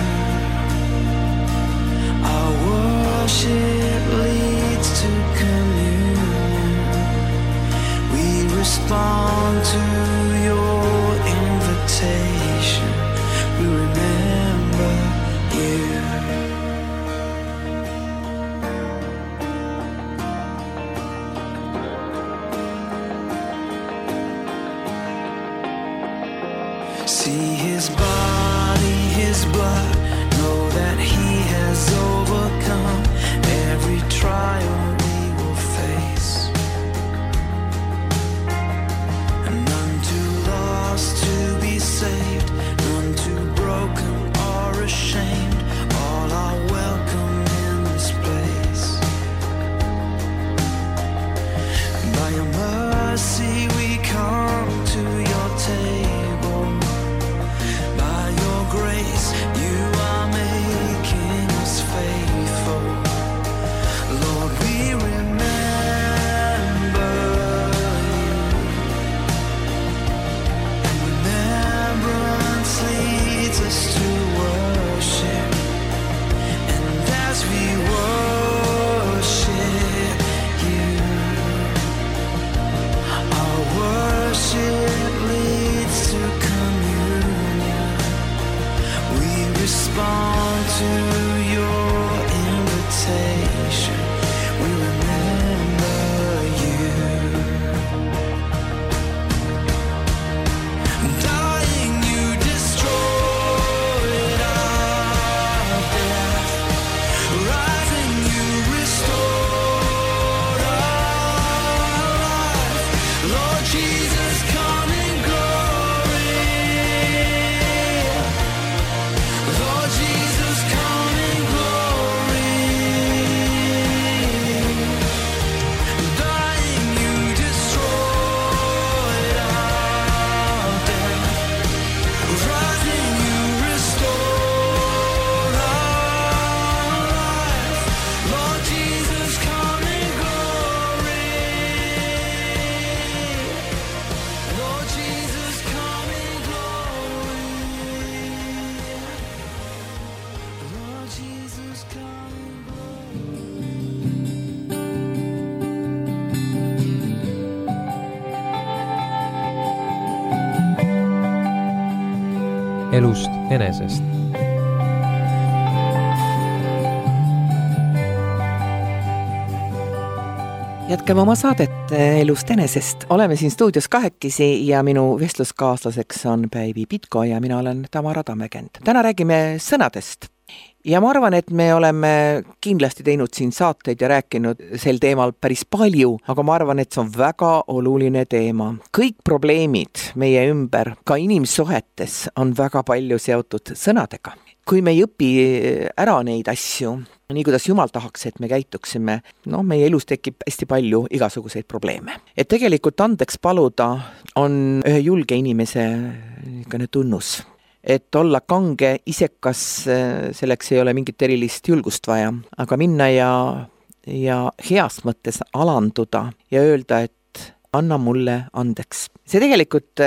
our worship leads to communion. We respond to your invitation. We remember you. See his body, his blood, know that he has overcome every trial we will face. And none too lost to be saved, none too broken or ashamed, all are welcome in this place. And by your mercy we come to your table. By your grace you are making us faithful. Lord, we remember you, and remembrance leads us to worship, and as we worship you, our worship leads to communion. We respond to your invitation. We remember you. Dying, you destroyed our death. Rising, you restored our life. Lord Jesus, come in glory. Lord Jesus, come in glory. Dying, you destroyed our death. Rising, you restored our life. Lord Jesus, come in glory. Lord Jesus, come in glory. Lord Jesus, come in elust enesest. Jätkame oma saadet elust enesest. Oleme siin stuudios kahekesi ja minu vestluskaaslaseks on Päivi Pitko ja mina olen Tamara Tammekend. Täna räägime sõnadest. Ja ma arvan, et me oleme kindlasti teinud siin saateid ja rääkinud sel teemal päris palju, aga ma arvan, et see on väga oluline teema. Kõik probleemid meie ümber, ka inimsuhetes, on väga palju seotud sõnadega. Kui me ei õpi ära neid asju, nii kuidas Jumal tahaks, et me käituksime, meie elus tekib hästi palju igasuguseid probleeme. Et tegelikult andeks paluda on ühe julge inimese tunnus. Et olla kange, isekas, selleks ei ole mingit erilist julgust vaja, aga minna ja heas mõttes alanduda ja öelda, et anna mulle andeks. See tegelikult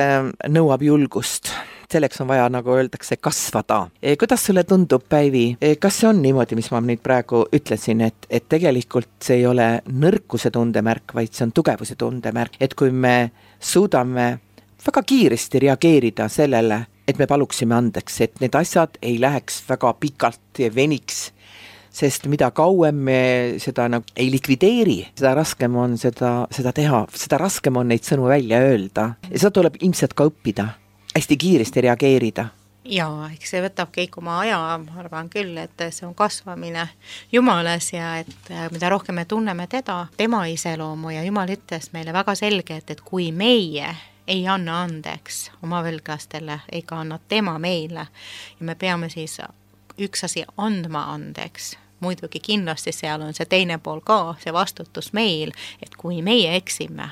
nõuab julgust. Selleks on vaja, nagu öeldakse, kasvada. Kuidas sulle tundub, Päivi? Kas see on niimoodi, mis ma nüüd praegu ütlesin, et tegelikult see ei ole nõrkuse tundemärk, vaid see on tugevuse tundemärk. Et kui me suudame väga kiiresti reageerida sellele, et me paluksime andeks, et need asjad ei läheks väga pikalt ja veniks, sest mida kauem me seda ei likvideeri, seda raskem on seda teha, seda raskem on neid sõnu välja öelda. Ja seda tuleb ilmselt ka õppida, hästi kiiresti reageerida. Jaa, eks see võtab kõik oma aja, ma arvan küll, et see on kasvamine Jumales ja et mida rohkem me tunneme tema iseloomu ja Jumal ütles meile väga selgelt, et kui meie ei anna andeks oma võlglastele, ega anna tema meile ja me peame siis üks asi andma andeks. Muidugi kindlasti seal on see teine pool ka, see vastutus meil, et kui meie eksime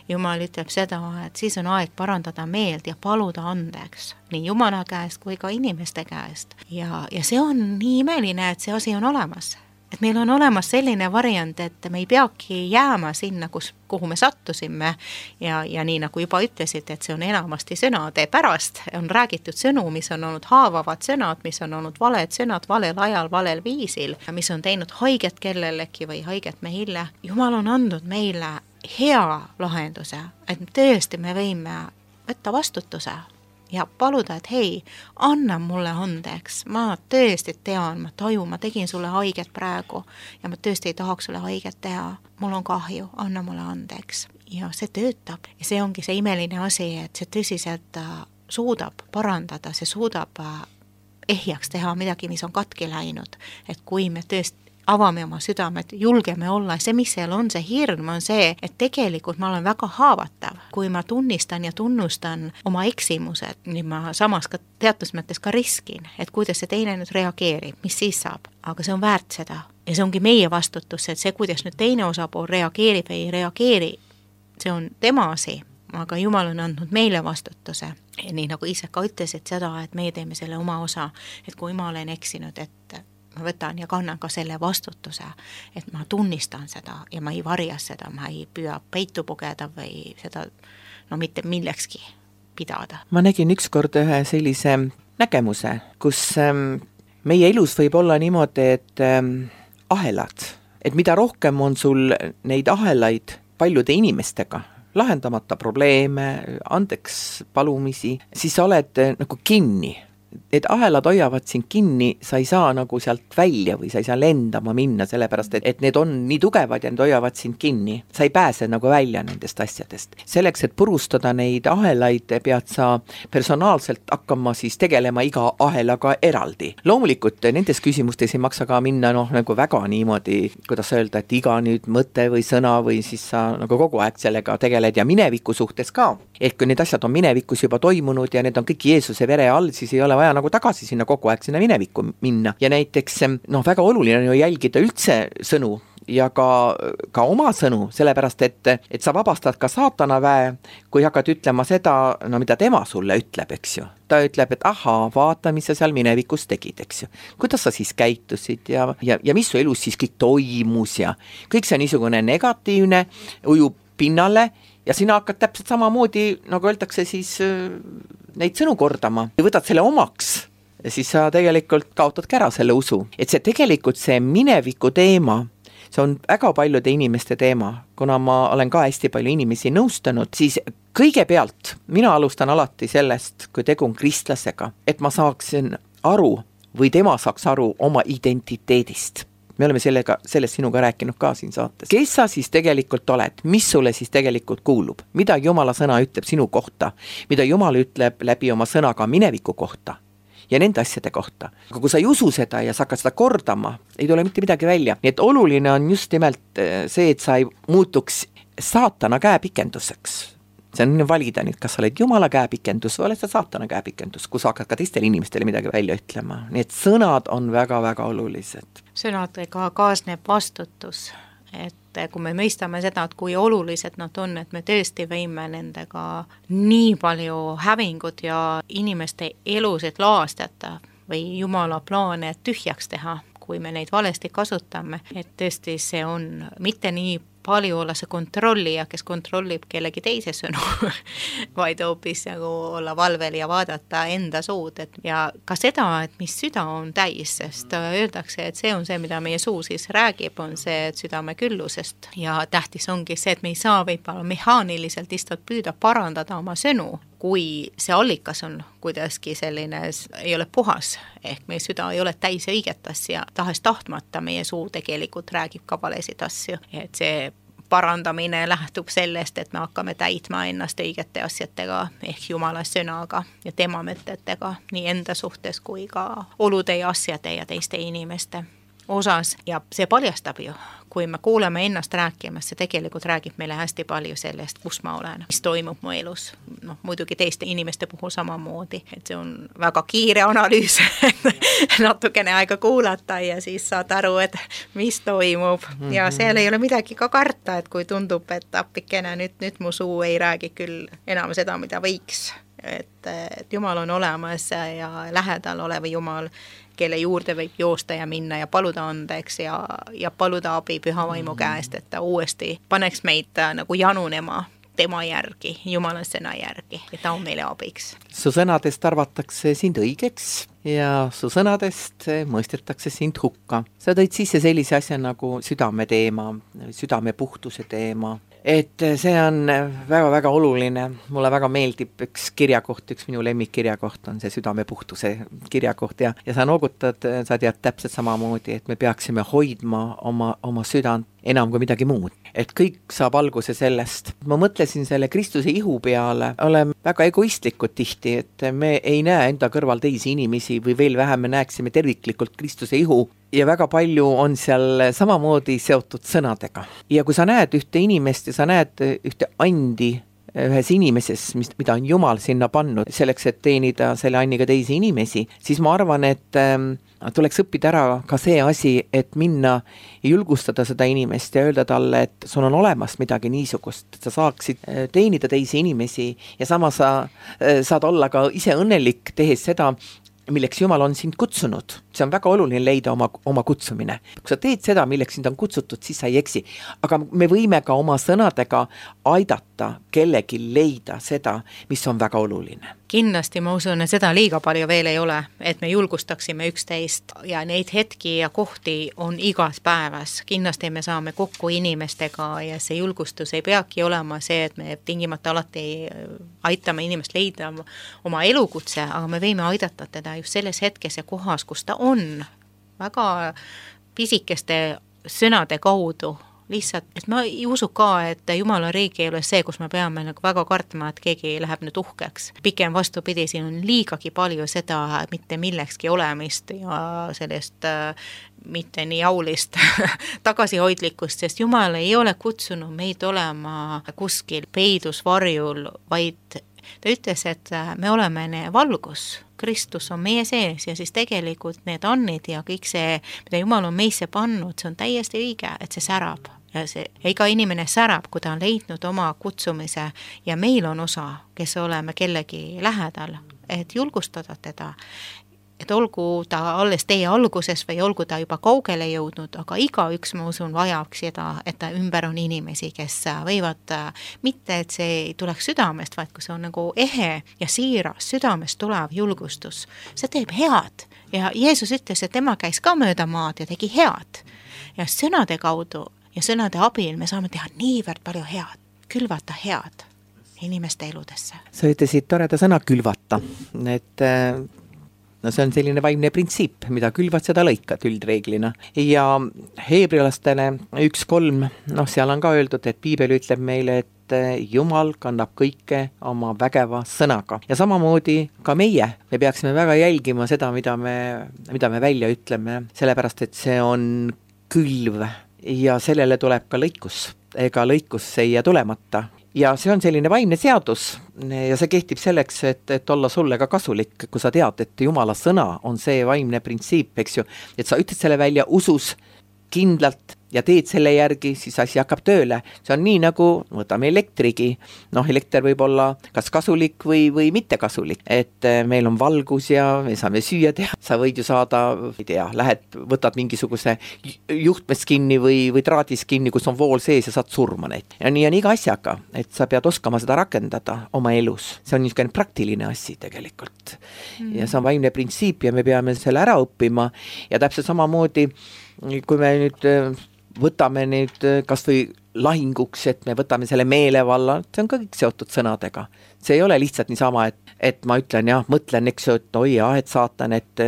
Jumal ütleb seda, et siis on aeg parandada meelt ja paluda andeks nii Jumala käest kui ka inimeste käest. Ja see on nii imeline, et see asi on olemas. Et meil on olemas selline variant, et me ei peagi jääma sinna, kuhu me sattusime ja nii nagu juba ütlesid, et see on enamasti sõnade pärast, on räägitud sõnu, mis on olnud haavavad sõnad, mis on olnud valed sõnad, valel ajal, valel viisil, mis on teinud haiget kellelegi või haiget meile. Jumal on andnud meile hea lahenduse, et tõesti me võime võtta vastutuse ja paluda, et hei, anna mulle andeks, ma tõesti tean, ma tajun, ma tegin sulle haiget praegu ja ma tõesti ei tahaks sulle haiget teha. Mul on kahju, anna mulle andeks. Ja see töötab ja see ongi see imeline asi, et see tõsiselt suudab parandada, see suudab ehjaks teha midagi, mis on katki läinud. Et kui me tõesti avame oma südamed, julgeme olla, see, mis seal on, see hirm on see, et tegelikult ma olen väga haavatav. Kui ma tunnistan ja tunnustan oma eksimused, nii ma samas ka teatud mõttes ka riskin, et kuidas see teine nüüd reageerib, mis siis saab. Aga see on väärt seda. Ja see ongi meie vastutus, et see, kuidas nüüd teine osapool reageerib või ei reageeri, see on tema asi. Aga Jumal on andnud meile vastutuse. Ja nii nagu ise ka ütlesid seda, et meie teeme selle oma osa, et kui ma olen eksinud, et ma võtan ja kannan ka selle vastutuse, et ma tunnistan seda ja ma ei varja seda, ma ei püüa peitu pugeda või seda mitte millekski pidada. Ma nägin ükskord ühe sellise nägemuse, kus meie elus võib olla niimoodi, et ahelad, et mida rohkem on sul neid ahelaid paljude inimestega, lahendamata probleeme, andeks palumisi, siis sa oled nagu kinni. Et ahelad hoiavad sind kinni, sa ei saa nagu sealt välja või sa ei saa lendama minna, sellepärast et need on nii tugevad ja need hoiavad sind kinni. Sa ei pääse nagu välja nendest asjadest. Selleks, et purustada neid ahelaid, pead sa personaalselt hakkama siis tegelema iga ahelaga eraldi. Loomulikult nendes küsimustes ei maksa ka minna nagu väga niimoodi, kuidas öelda, et iga nüüd mõte või sõna või siis sa nagu kogu aeg sellega tegeled ja mineviku suhtes ka. Et kui need asjad on minevikus juba toimunud ja need on kõik Jeesuse vere all, siis ei ole vaja nagu tagasi sinna kogu aeg sinna minevikku minna. Ja näiteks väga oluline on ju jälgida üldse sõnu ja ka oma sõnu, sellepärast et sa vabastad ka saatana väe, kui hakkad ütlema seda, mida tema sulle ütleb, eks ju. Ta ütleb, et ahaa, vaata, mis sa seal minevikus tegid, eks ju. Kuidas sa siis käitusid ja mis su elus siis kõik toimus ja kõik see niisugune negatiivne ujub pinnale ja sina hakkad täpselt samamoodi, nagu öeldakse siis neid sõnu kordama ja võtad selle omaks, siis sa tegelikult kaotadki ära selle usu. Et see tegelikult see mineviku teema, see on väga paljude inimeste teema, kuna ma olen ka hästi palju inimesi nõustanud, siis kõigepealt mina alustan alati sellest, kui tegu on kristlasega, et ma saaksin aru või tema saaks aru oma identiteedist. Me oleme sellest sinuga rääkinud ka siin saates. Kes sa siis tegelikult oled? Mis sulle siis tegelikult kuulub? Mida Jumala sõna ütleb sinu kohta? Mida Jumal ütleb läbi oma sõnaga mineviku kohta? Ja nende asjade kohta. Aga kui sa ei usu seda ja sa hakkad seda kordama, ei tule mitte midagi välja. Nii et oluline on just nimelt see, et sa ei muutuks saatana käepikenduseks. See on valida nüüd, kas sa oled Jumala käepikendus või oled sa saatana käepikendus, kus hakkad ka teistele inimestele midagi välja ütlema. Nii et sõnad on väga-väga olulised. Sõnadega kaasneb vastutus, et kui me mõistame seda, et kui olulised nad on, et me tõesti võime nendega nii palju hävingut ja inimeste elusid laastada või Jumala plaane tühjaks teha, kui me neid valesti kasutame, et tõesti see on mitte nii palju olla see kontrollija, kes kontrollib kellegi teise sõnu, vaid hoopis nagu olla valvel ja vaadata enda suud. Ja ka seda, et mis süda on täis, sest öeldakse, et see on see, mida meie suu siis räägib, on see südame küllusest. Ja tähtis ongi see, et me ei saa võib-olla mehaaniliselt lihtsalt püüda parandada oma sõnu, kui see allikas on kuidagi selline, ei ole puhas, ehk meie süda ei ole täis õiget asja, tahes tahtmata meie suu tegelikult räägib ka valesid asju, et see parandamine lähtub sellest, et me hakkame täitma ennast õigete asjadega ehk Jumala sõnaga ja tema mõtetega nii enda suhtes kui ka olude ja asjade ja teiste inimeste. osas ja see paljastab ju, kui me kuuleme ennast rääkimas, see tegelikult räägib meile hästi palju sellest, kus ma olen, mis toimub mu elus. Noh, muidugi teiste inimeste puhul samamoodi, et see on väga kiire analüüs, natukene aega kuulata ja siis saad aru, et mis toimub ja seal ei ole midagi ka karta, et kui tundub, et appikene nüüd mu suu ei räägi küll enam seda, mida võiks, et Jumal on olemas ja lähedal olev Jumal, kelle juurde võib joosta ja minna ja paluda andeks ja paluda abi püha vaimu käest, et ta uuesti paneks meid nagu janunema tema järgi, Jumala sõna järgi ja ta on meile abiks. Su sõnadest arvatakse sind õigeks ja su sõnadest mõistetakse sind hukka. Sa tõid sisse sellise asja nagu südame teema, südame puhtuse teema. Et see on väga-väga oluline, mulle väga meeldib üks kirjakoht, üks minu lemmikkirjakoht on see südame puhtuse kirjakoht ja sa noogutad, sa tead täpselt samamoodi, et me peaksime hoidma oma südant enam kui midagi muud. Et kõik saab alguse sellest. Ma mõtlesin selle Kristuse ihu peale, oleme väga egoistlikud tihti, et me ei näe enda kõrval teisi inimesi või veel vähem me näeksime terviklikult Kristuse ihu ja väga palju on seal samamoodi seotud sõnadega. Ja kui sa näed ühte inimest ja sa näed ühte andi ühes inimeses, mida on Jumal sinna pannud selleks, et teenida selle anniga teisi inimesi, siis ma arvan, et tuleks õppida ära ka see asi, et minna ja julgustada seda inimest ja öelda talle, et sul on olemas midagi niisugust, et sa saaksid teenida teisi inimesi ja samas sa saad olla ka ise õnnelik tehes seda, milleks Jumal on sind kutsunud. See on väga oluline leida oma kutsumine. Kui sa teed seda, milleks sind on kutsutud, siis sa ei eksi. Aga me võime ka oma sõnadega aidata kellegi leida seda, mis on väga oluline. Kindlasti ma usun, et seda liiga palju veel ei ole, et me julgustaksime üksteist ja neid hetki ja kohti on igas päevas. Kindlasti me saame kokku inimestega ja see julgustus ei peagi olema see, et me tingimata alati aitame inimest leida oma elukutse, aga me võime aidata teda just selles hetkes ja kohas, kus ta on väga pisikeste sõnade kaudu. Lihtsalt, et ma ei usu ka, et Jumala riik ei ole see, kus me peame nagu väga kartma, et keegi läheb nüüd uhkeks. Pikem vastupidi, siin on liigagi palju seda mitte millekski olemist ja sellest mitte nii jaulist tagasihoidlikkust, sest Jumal ei ole kutsunud meid olema kuskil peidus varjul, vaid ta ütles, et me oleme valgus. Kristus on meie sees ja siis tegelikult need annid ja kõik see, mida Jumal on meisse pannud, see on täiesti õige, et see särab. Ja iga inimene särab, kui ta on leidnud oma kutsumise ja meil on osa, kes oleme kellegi lähedal, et julgustada teda. Et olgu ta alles teie alguses või olgu ta juba kaugele jõudnud, aga igaüks, ma usun, vajaks seda, et ta ümber on inimesi, kes võivad mitte, et see ei tuleks südamest, vaid kui see on nagu ehe ja siiras südamest tulev julgustus. See teeb head ja Jeesus ütles, et tema käis ka mööda maad ja tegi head. Ja sõnade kaudu ja sõnade abil me saame teha niivõrd palju head, külvata head inimeste eludesse. Sa ütlesid toreda sõna külvata, et no see on selline vaimne printsiip, mida külvad, seda lõikad üldreeglina. Ja heebrilastele 1.3, seal on ka öeldud, et Piibel ütleb meile, et Jumal kannab kõike oma vägeva sõnaga. Ja samamoodi ka meie peaksime väga jälgima seda, mida me välja ütleme, sellepärast, et see on külv ja sellele tuleb ka lõikus. Ega lõikus ei jää tulemata. Ja see on selline vaimne seadus ja see kehtib selleks, et olla sulle ka kasulik, kui sa tead, et Jumala sõna on see vaimne printsiip, eks ju, et sa ütled selle välja usus kindlalt ja teed selle järgi, siis asi hakkab tööle. See on nii nagu, võtame elektrigi, elekter võib olla kas kasulik või mitte kasulik, et meil on valgus ja me saame süüa teha. Sa võid ju saada, ei tea, võtad mingisuguse juhtmes kinni või traadis kinni, kus on vool sees ja saad surma neid. Ja nii on iga asjaga, et sa pead oskama seda rakendada oma elus. See on niisugune praktiline asi tegelikult. Ja see on vaimne printsiip ja me peame selle ära õppima ja täpselt samamoodi, kui me nüüd võtame nüüd kas või lahinguks, et me võtame selle meelevalla, see on ka kõik seotud sõnadega. See ei ole lihtsalt niisama, et ma ütlen mõtlen, eks ju, et oi jah, et saatan, et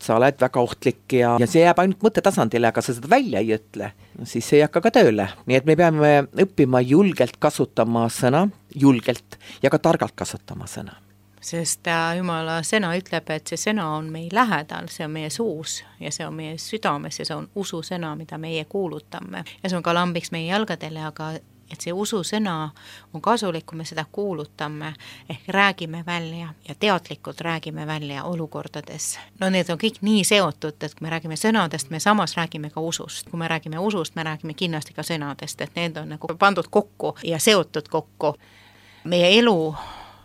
sa oled väga ohtlik ja see jääb ainult mõttetasandile, aga sa seda välja ei ütle, siis see ei hakka ka tööle. Nii et me peame õppima julgelt kasutama sõna, julgelt ja ka targalt kasutama sõna. sest Jumala sõna ütleb, et see sõna on meil lähedal, see on meie suus ja see on meie südames ja see on ususõna, mida meie kuulutame. Ja see on ka lambiks meie jalgadele, aga et see ususõna on kasulik, kui me seda kuulutame, ehk räägime välja ja teadlikult räägime välja olukordades. No need on kõik nii seotud, et kui me räägime sõnadest, me samas räägime ka usust. Kui me räägime usust, me räägime kindlasti ka sõnadest, et need on nagu pandud kokku ja seotud kokku. Meie elu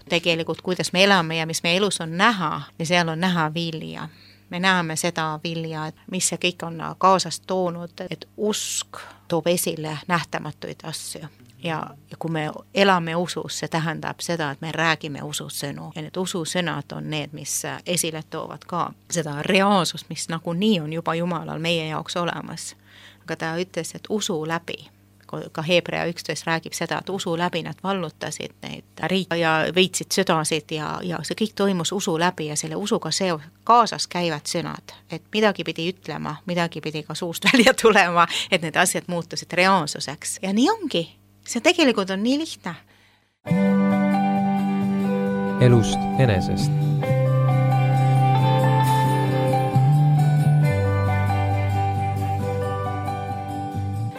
tegelikult, kuidas me elame ja mis meie elus on näha, ja seal on näha vilja. Me näeme seda vilja, et mis see kõik on kaasast toonud, et usk toob esile nähtamatuid asju. Ja kui me elame usus, see tähendab seda, et me räägime ususõnu. Ja need ususõnad on need, mis esile toovad ka seda reaalsust, mis nagunii on juba Jumalal meie jaoks olemas. Aga ta ütles, et usu läbi. Ka Hebrea 11 räägib seda, et usu läbi nad vallutasid neid riike ja veitsid südasid ja see kõik toimus usu läbi ja selle usuga kaasas käivad sõnad, et midagi pidi ütlema, midagi pidi ka suust välja tulema, et need asjad muutusid reaalsuseks. Ja nii ongi. See tegelikult on nii lihtne. Elust enesest.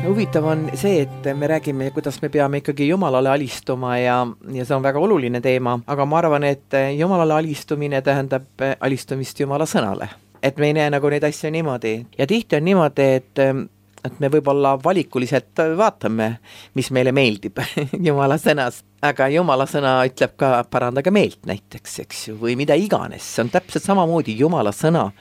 Huvitav on see, et me räägime, kuidas me peame ikkagi Jumalale alistuma ja see on väga oluline teema, aga ma arvan, et Jumalale alistumine tähendab alistumist Jumala sõnale. Et me ei näe nagu neid asju niimoodi. Ja tihti on niimoodi, et me võib-olla valikuliselt vaatame, mis meile meeldib Jumala sõnas. Aga Jumala sõna ütleb ka parandage meelt näiteks, eks ju, või mida iganes. See on täpselt samamoodi Jumala sõna.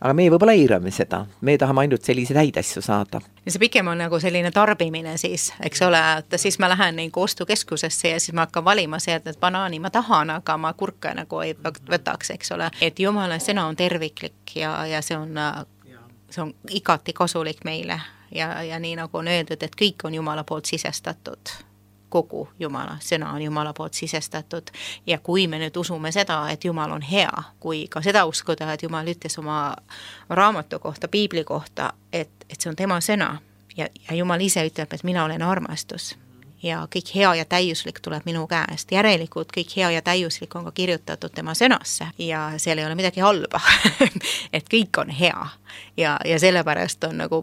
Aga me võib-olla eirame seda. Me tahame ainult selliseid häid asju saada. Ja see pikem on nagu selline tarbimine siis, eks ole, et siis ma lähen nagu ostukeskusesse ja siis ma hakkan valima see, et banaani ma tahan, aga ma kurka nagu ei võtaks, eks ole. Et Jumala sõna on terviklik ja see on igati kasulik meile ja nii nagu on öeldud, et kõik on Jumala poolt sisestatud. Kogu Jumala sõna on Jumala poolt sisestatud ja kui me nüüd usume seda, et Jumal on hea, kui ka seda uskuda, et Jumal ütles oma raamatu kohta, piibli kohta, et see on tema sõna ja Jumal ise ütleb, et mina olen armastus ja kõik hea ja täiuslik tuleb minu käest. Järelikult kõik hea ja täiuslik on ka kirjutatud tema sõnasse ja seal ei ole midagi halba, et kõik on hea ja sellepärast on nagu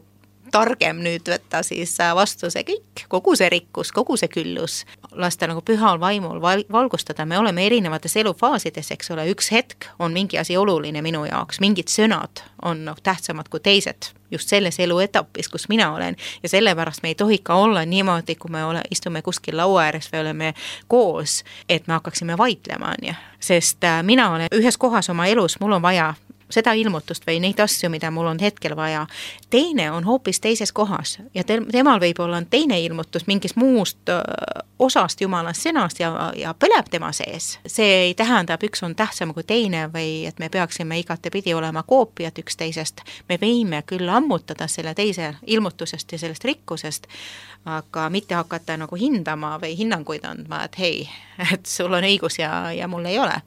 targem nüüd võtta siis vastu see kõik, kogu see rikkus, kogu see küllus, lasta nagu pühal vaimul valgustada. Me oleme erinevates elufaasides, eks ole, üks hetk on mingi asi oluline minu jaoks, mingid sõnad on tähtsamad kui teised just selles eluetapis, kus mina olen ja sellepärast me ei tohi ka olla niimoodi, kui me istume kuskil laua ääres või oleme koos, et me hakkaksime vaidlema, sest mina olen ühes kohas oma elus, mul on vaja seda ilmutust või neid asju, mida mul on hetkel vaja. Teine on hoopis teises kohas ja temal võib olla teine ilmutus mingis muust osast Jumala sõnast ja põleb tema sees. See ei tähendab, üks on tähtsam kui teine või et me peaksime igatepidi olema koopiad üksteisest. Me võime küll ammutada selle teise ilmutusest ja sellest rikkusest, aga mitte hakata nagu hindama või hinnanguid andma, et hei, et sul on õigus ja mul ei ole.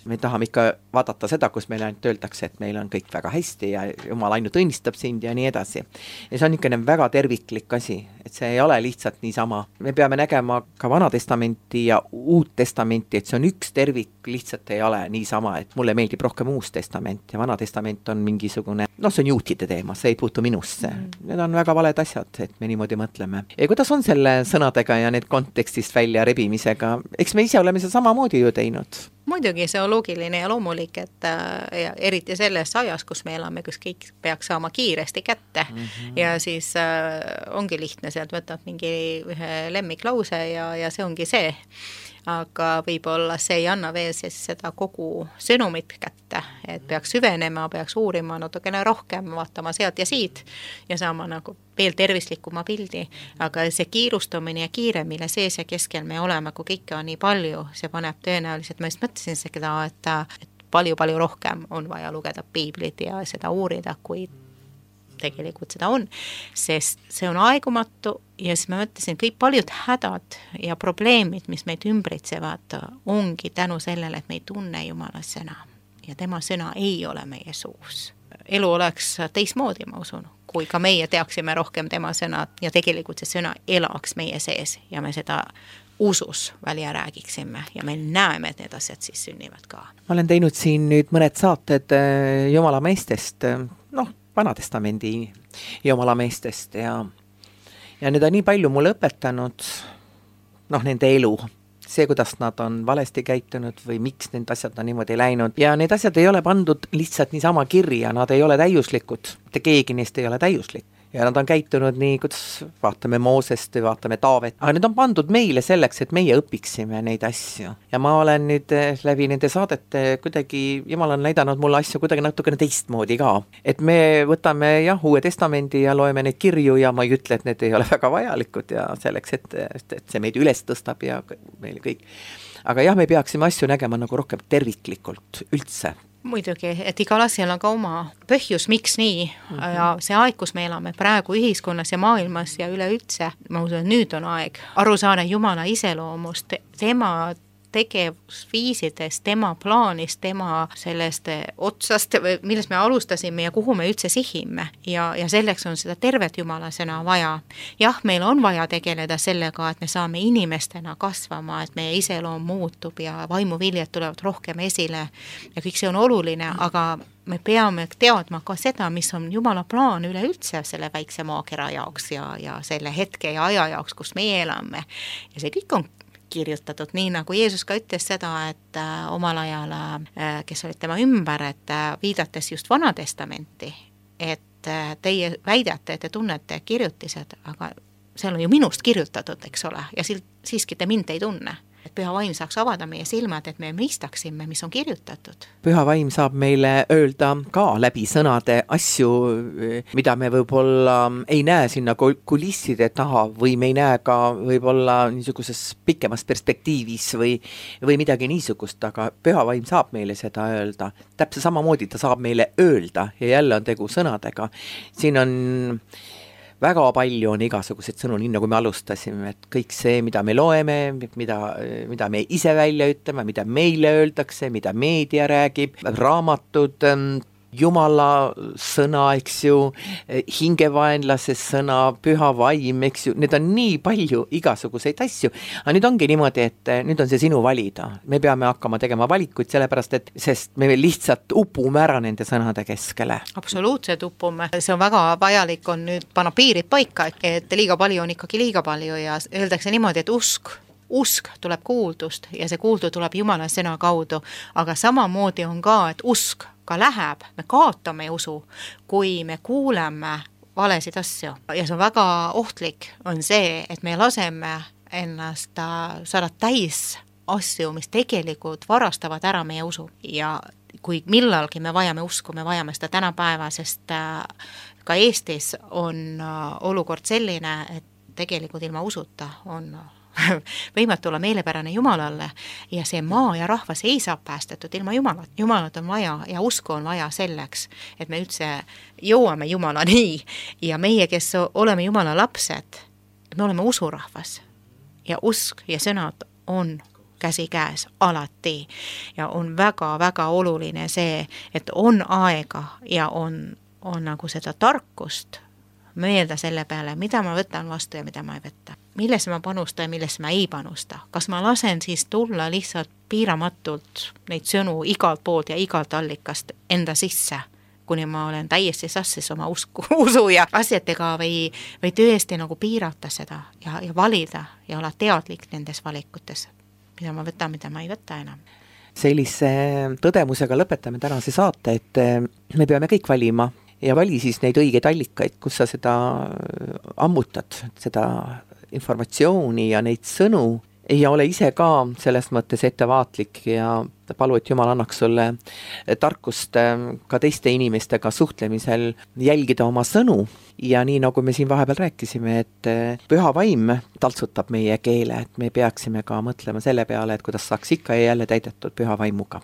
Me tahame ikka vaadata seda, kus meil ainult öeldakse, et meil on kõik väga hästi ja Jumal ainult õnnistab sind ja nii edasi. Ja see on niisugune väga terviklik asi, et see ei ole lihtsalt niisama. Me peame nägema ka Vana testamenti ja Uut testamenti, et see on üks tervik, lihtsalt ei ole niisama, et mulle meeldib rohkem Uus testament ja Vana testament on mingisugune, see on juutide teema, see ei puutu minusse. Need on väga valed asjad, et me niimoodi mõtleme. Ja kuidas on selle sõnadega ja need kontekstist välja rebimisega? Eks me ise oleme seda samamoodi ju teinud. Muidugi see on loogiline ja loomulik, et ja eriti selles ajas, kus me elame, kus kõik peaks saama kiiresti kätte ja siis ongi lihtne, sealt võtad mingi ühe lemmiklause ja see ongi see. Aga võib-olla see ei anna veel siis seda kogu sõnumit kätte, et peaks süvenema, peaks uurima natukene rohkem, vaatama sealt ja siit ja saama nagu veel tervislikuma pildi, aga see kiirustamine ja kiire, mille sees ja keskel me oleme, kui kõike on nii palju, see paneb tõenäoliselt, ma just mõtlesin seda, et palju-palju rohkem on vaja lugeda piiblit ja seda uurida, kui tegelikult seda on, sest see on aegumatu ja siis ma mõtlesin, kõik paljud hädad ja probleemid, mis meid ümbritsevad, ongi tänu sellele, et me ei tunne Jumala sõna ja tema sõna ei ole meie suus. Elu oleks teismoodi, ma usun, kui ka meie teaksime rohkem tema sõna ja tegelikult see sõna elaks meie sees ja me seda usus välja räägiksime ja me näeme, et need asjad siis sünnivad ka. Ma olen teinud siin nüüd mõned saated Jumala meestest, Vanatestamendi Jumala meestest ja need on nii palju mulle õpetanud, nende elu, see, kuidas nad on valesti käitunud või miks need asjad on niimoodi läinud ja need asjad ei ole pandud lihtsalt niisama kirja, nad ei ole täiuslikud, mitte keegi neist ei ole täiuslik. Ja nad on käitunud nii, kuidas vaatame Moosest või vaatame Taavet, aga need on pandud meile selleks, et meie õpiksime neid asju. Ja ma olen nüüd läbi nende saadete kuidagi, Jumal on näidanud mulle asju kuidagi natukene teistmoodi ka. Et me võtame Uue Testamendi ja loeme neid kirju ja ma ei ütle, et need ei ole väga vajalikud ja selleks, et see meid üles tõstab ja meil kõik. Aga me peaksime asju nägema nagu rohkem terviklikult üldse. Muidugi, et igal asjal on ka oma põhjus, miks nii ja see aeg, kus me elame praegu ühiskonnas ja maailmas ja üleüldse, ma usun, et nüüd on aeg aru saada Jumala iseloomust, tema tegevusviisidest, tema plaanist, tema sellest otsast, millest me alustasime ja kuhu me üldse sihime ja selleks on seda tervet Jumala sõna vaja. Jah, meil on vaja tegeleda sellega, et me saame inimestena kasvama, et meie iseloom muutub ja vaimuviljad tulevad rohkem esile ja kõik see on oluline, aga me peame teadma ka seda, mis on Jumala plaan üleüldse selle väikse maakera jaoks ja selle hetke ja aja jaoks, kus meie elame. Ja see kõik on kirjutatud, nii nagu Jeesus ka ütles seda, et omal ajal, kes olid tema ümber, et viidates just Vanatestamenti, et teie väidate, et te tunnete kirjutised, aga seal on ju minust kirjutatud, eks ole, ja siiski te mind ei tunne. Et Püha Vaim saaks avada meie silmad, et me mõistaksime, mis on kirjutatud. Püha Vaim saab meile öelda ka läbi sõnade asju, mida me võib-olla ei näe sinna kulisside taha või me ei näe ka võib-olla niisuguses pikemas perspektiivis või midagi niisugust, aga Püha Vaim saab meile seda öelda. Täpselt samamoodi ta saab meile öelda ja jälle on tegu sõnadega. Siin on väga palju on igasuguseid sõnu, nii nagu me alustasime, et kõik see, mida me loeme, mida me ise välja ütleme, mida meile öeldakse, mida meedia räägib, raamatud, Jumala sõna, eks ju, hingevaenlase sõna, Püha Vaim, eks ju, need on nii palju igasuguseid asju, aga nüüd ongi niimoodi, et nüüd on see sinu valida. Me peame hakkama tegema valikuid sellepärast, sest me lihtsalt upume ära nende sõnade keskele. Absoluutselt upume. See on väga vajalik on nüüd panna piirid paika, et liiga palju on ikkagi liiga palju ja öeldakse niimoodi, et usk tuleb kuuldust ja see kuuldu tuleb Jumala sõna kaudu, aga samamoodi on ka, et usk ka läheb, me kaotame usu, kui me kuuleme valesid asju. Ja see on väga ohtlik, on see, et me laseme ennast saada täis asju, mis tegelikult varastavad ära meie usu. Ja kui millalgi me vajame usku, me vajame seda tänapäeva, sest ka Eestis on olukord selline, et tegelikult ilma usuta on võimatu olla meelepärane Jumalalle ja see maa ja rahvas ei saa päästetud ilma Jumalat. Jumalat on vaja ja usku on vaja selleks, et me üldse jõuame Jumalani ja meie, kes oleme Jumala lapsed, me oleme usurahvas ja usk ja sõnad on käsi käes alati ja on väga-väga oluline see, et on aega ja on nagu seda tarkust mõelda selle peale, mida ma võtan vastu ja mida ma ei võta. Millesse ma panustan ja millesse ma ei panusta. Kas ma lasen siis tulla lihtsalt piiramatult neid sõnu igalt poolt ja igalt allikast enda sisse, kuni ma olen täiesti sassis oma usu ja asjadega või tõesti nagu piirata seda ja valida ja olla teadlik nendes valikutes, mida ma võtan, mida ma ei võta enam. Sellise tõdemusega lõpetame tänase saate, et me peame kõik valima ja vali siis neid õigeid allikaid, kus sa seda ammutad, seda informatsiooni ja neid sõnu ja ole ise ka selles mõttes ettevaatlik ja palu, et Jumal annaks sulle tarkust ka teiste inimestega suhtlemisel jälgida oma sõnu ja nii nagu me siin vahepeal rääkisime, et Püha Vaim taltsutab meie keele, et me peaksime ka mõtlema selle peale, et kuidas saaks ikka ja jälle täidetud Püha Vaimuga.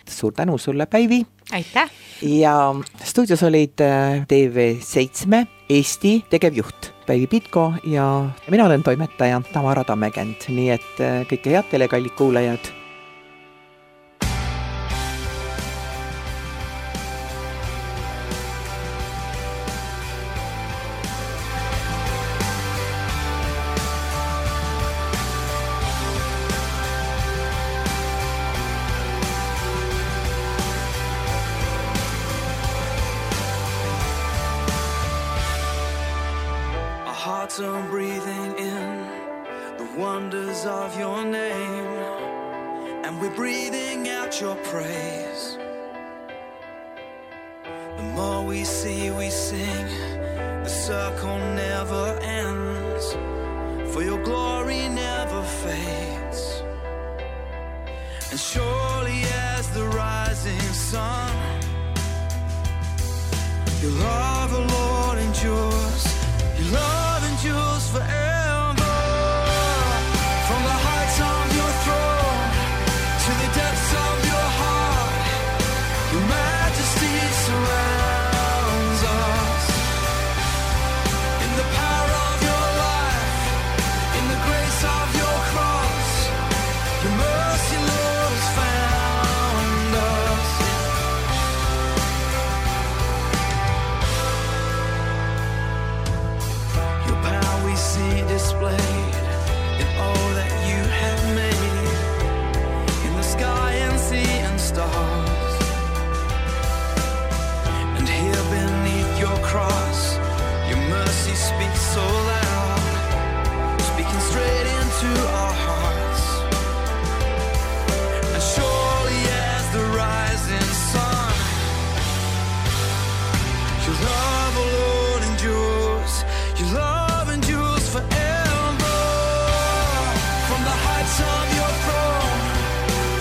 Suur tänu sulle, Päivi! Aitäh! Ja stuudios olid TV7 Eesti tegevjuht Päivi Pitko ja mina olen toimetaja Tamara Tammekend, nii et kõike head teile, kallid kuulajad! hearts are breathing in the wonders of your name, and we're breathing out your praise. The more we see, we sing, the circle never ends, for your glory never fades. And surely as the rising sun, your love, O Lord, endures. Your love endures forever. From the heights of your throne to the depths of your heart, your majesty surrounds us. In the power of your life, in the grace of your cross, your mercy, Lord, has found us. Your power we see displayed in all that you have made, in the sky and sea and stars. And here beneath your cross, your mercy speaks so loud, speaking straight into our hearts. And surely as the rising sun, your love, O Lord, endures. Your love endures forever. From the heights of your throne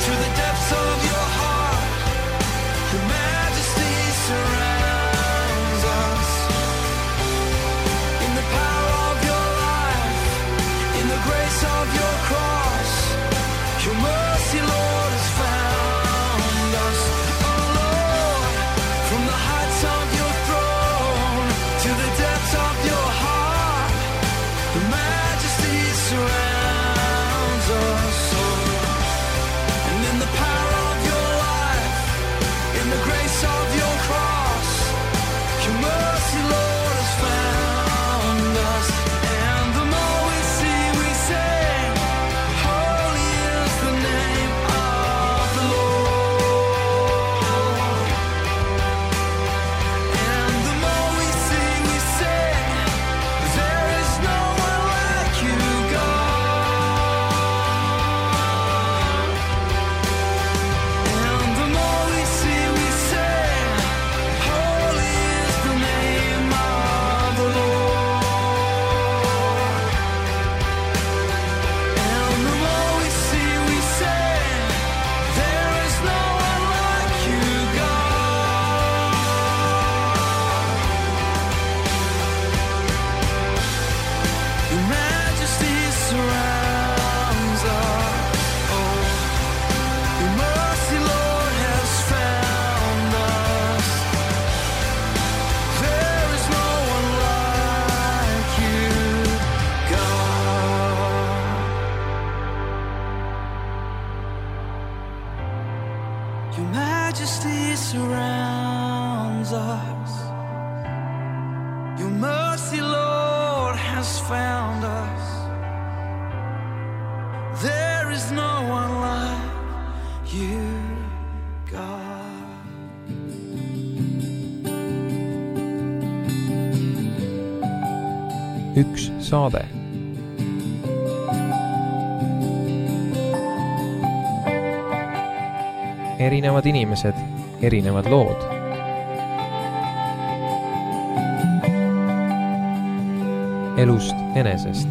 to the depths of your heart, your majesty surrounds us. In the power of your life, in the grace of your cross, your mercy, Lord, has found us. Oh Lord, from the heights of your throne to the depths of your heart, your majesty surrounds us. Oh, and in the power of your life, in the grace of your cross, your mercy, Lord, has found us. And the more we see, we sing, holy is the name of the Lord. And the more we see, we sing, there is no one like you, God. And the more we see, we sing, holy is the name of the Lord. And the more we see, we sing, there is no one like you, God. Your majesty surrounds us. Oh, your mercy, Lord, has found us. There is no one like you, God. Your majesty surrounds us. Your mercy, Lord, has found us. There is no one like you, God. Üks saade. Erinevad inimesed, erinevad lood. Elust enesest.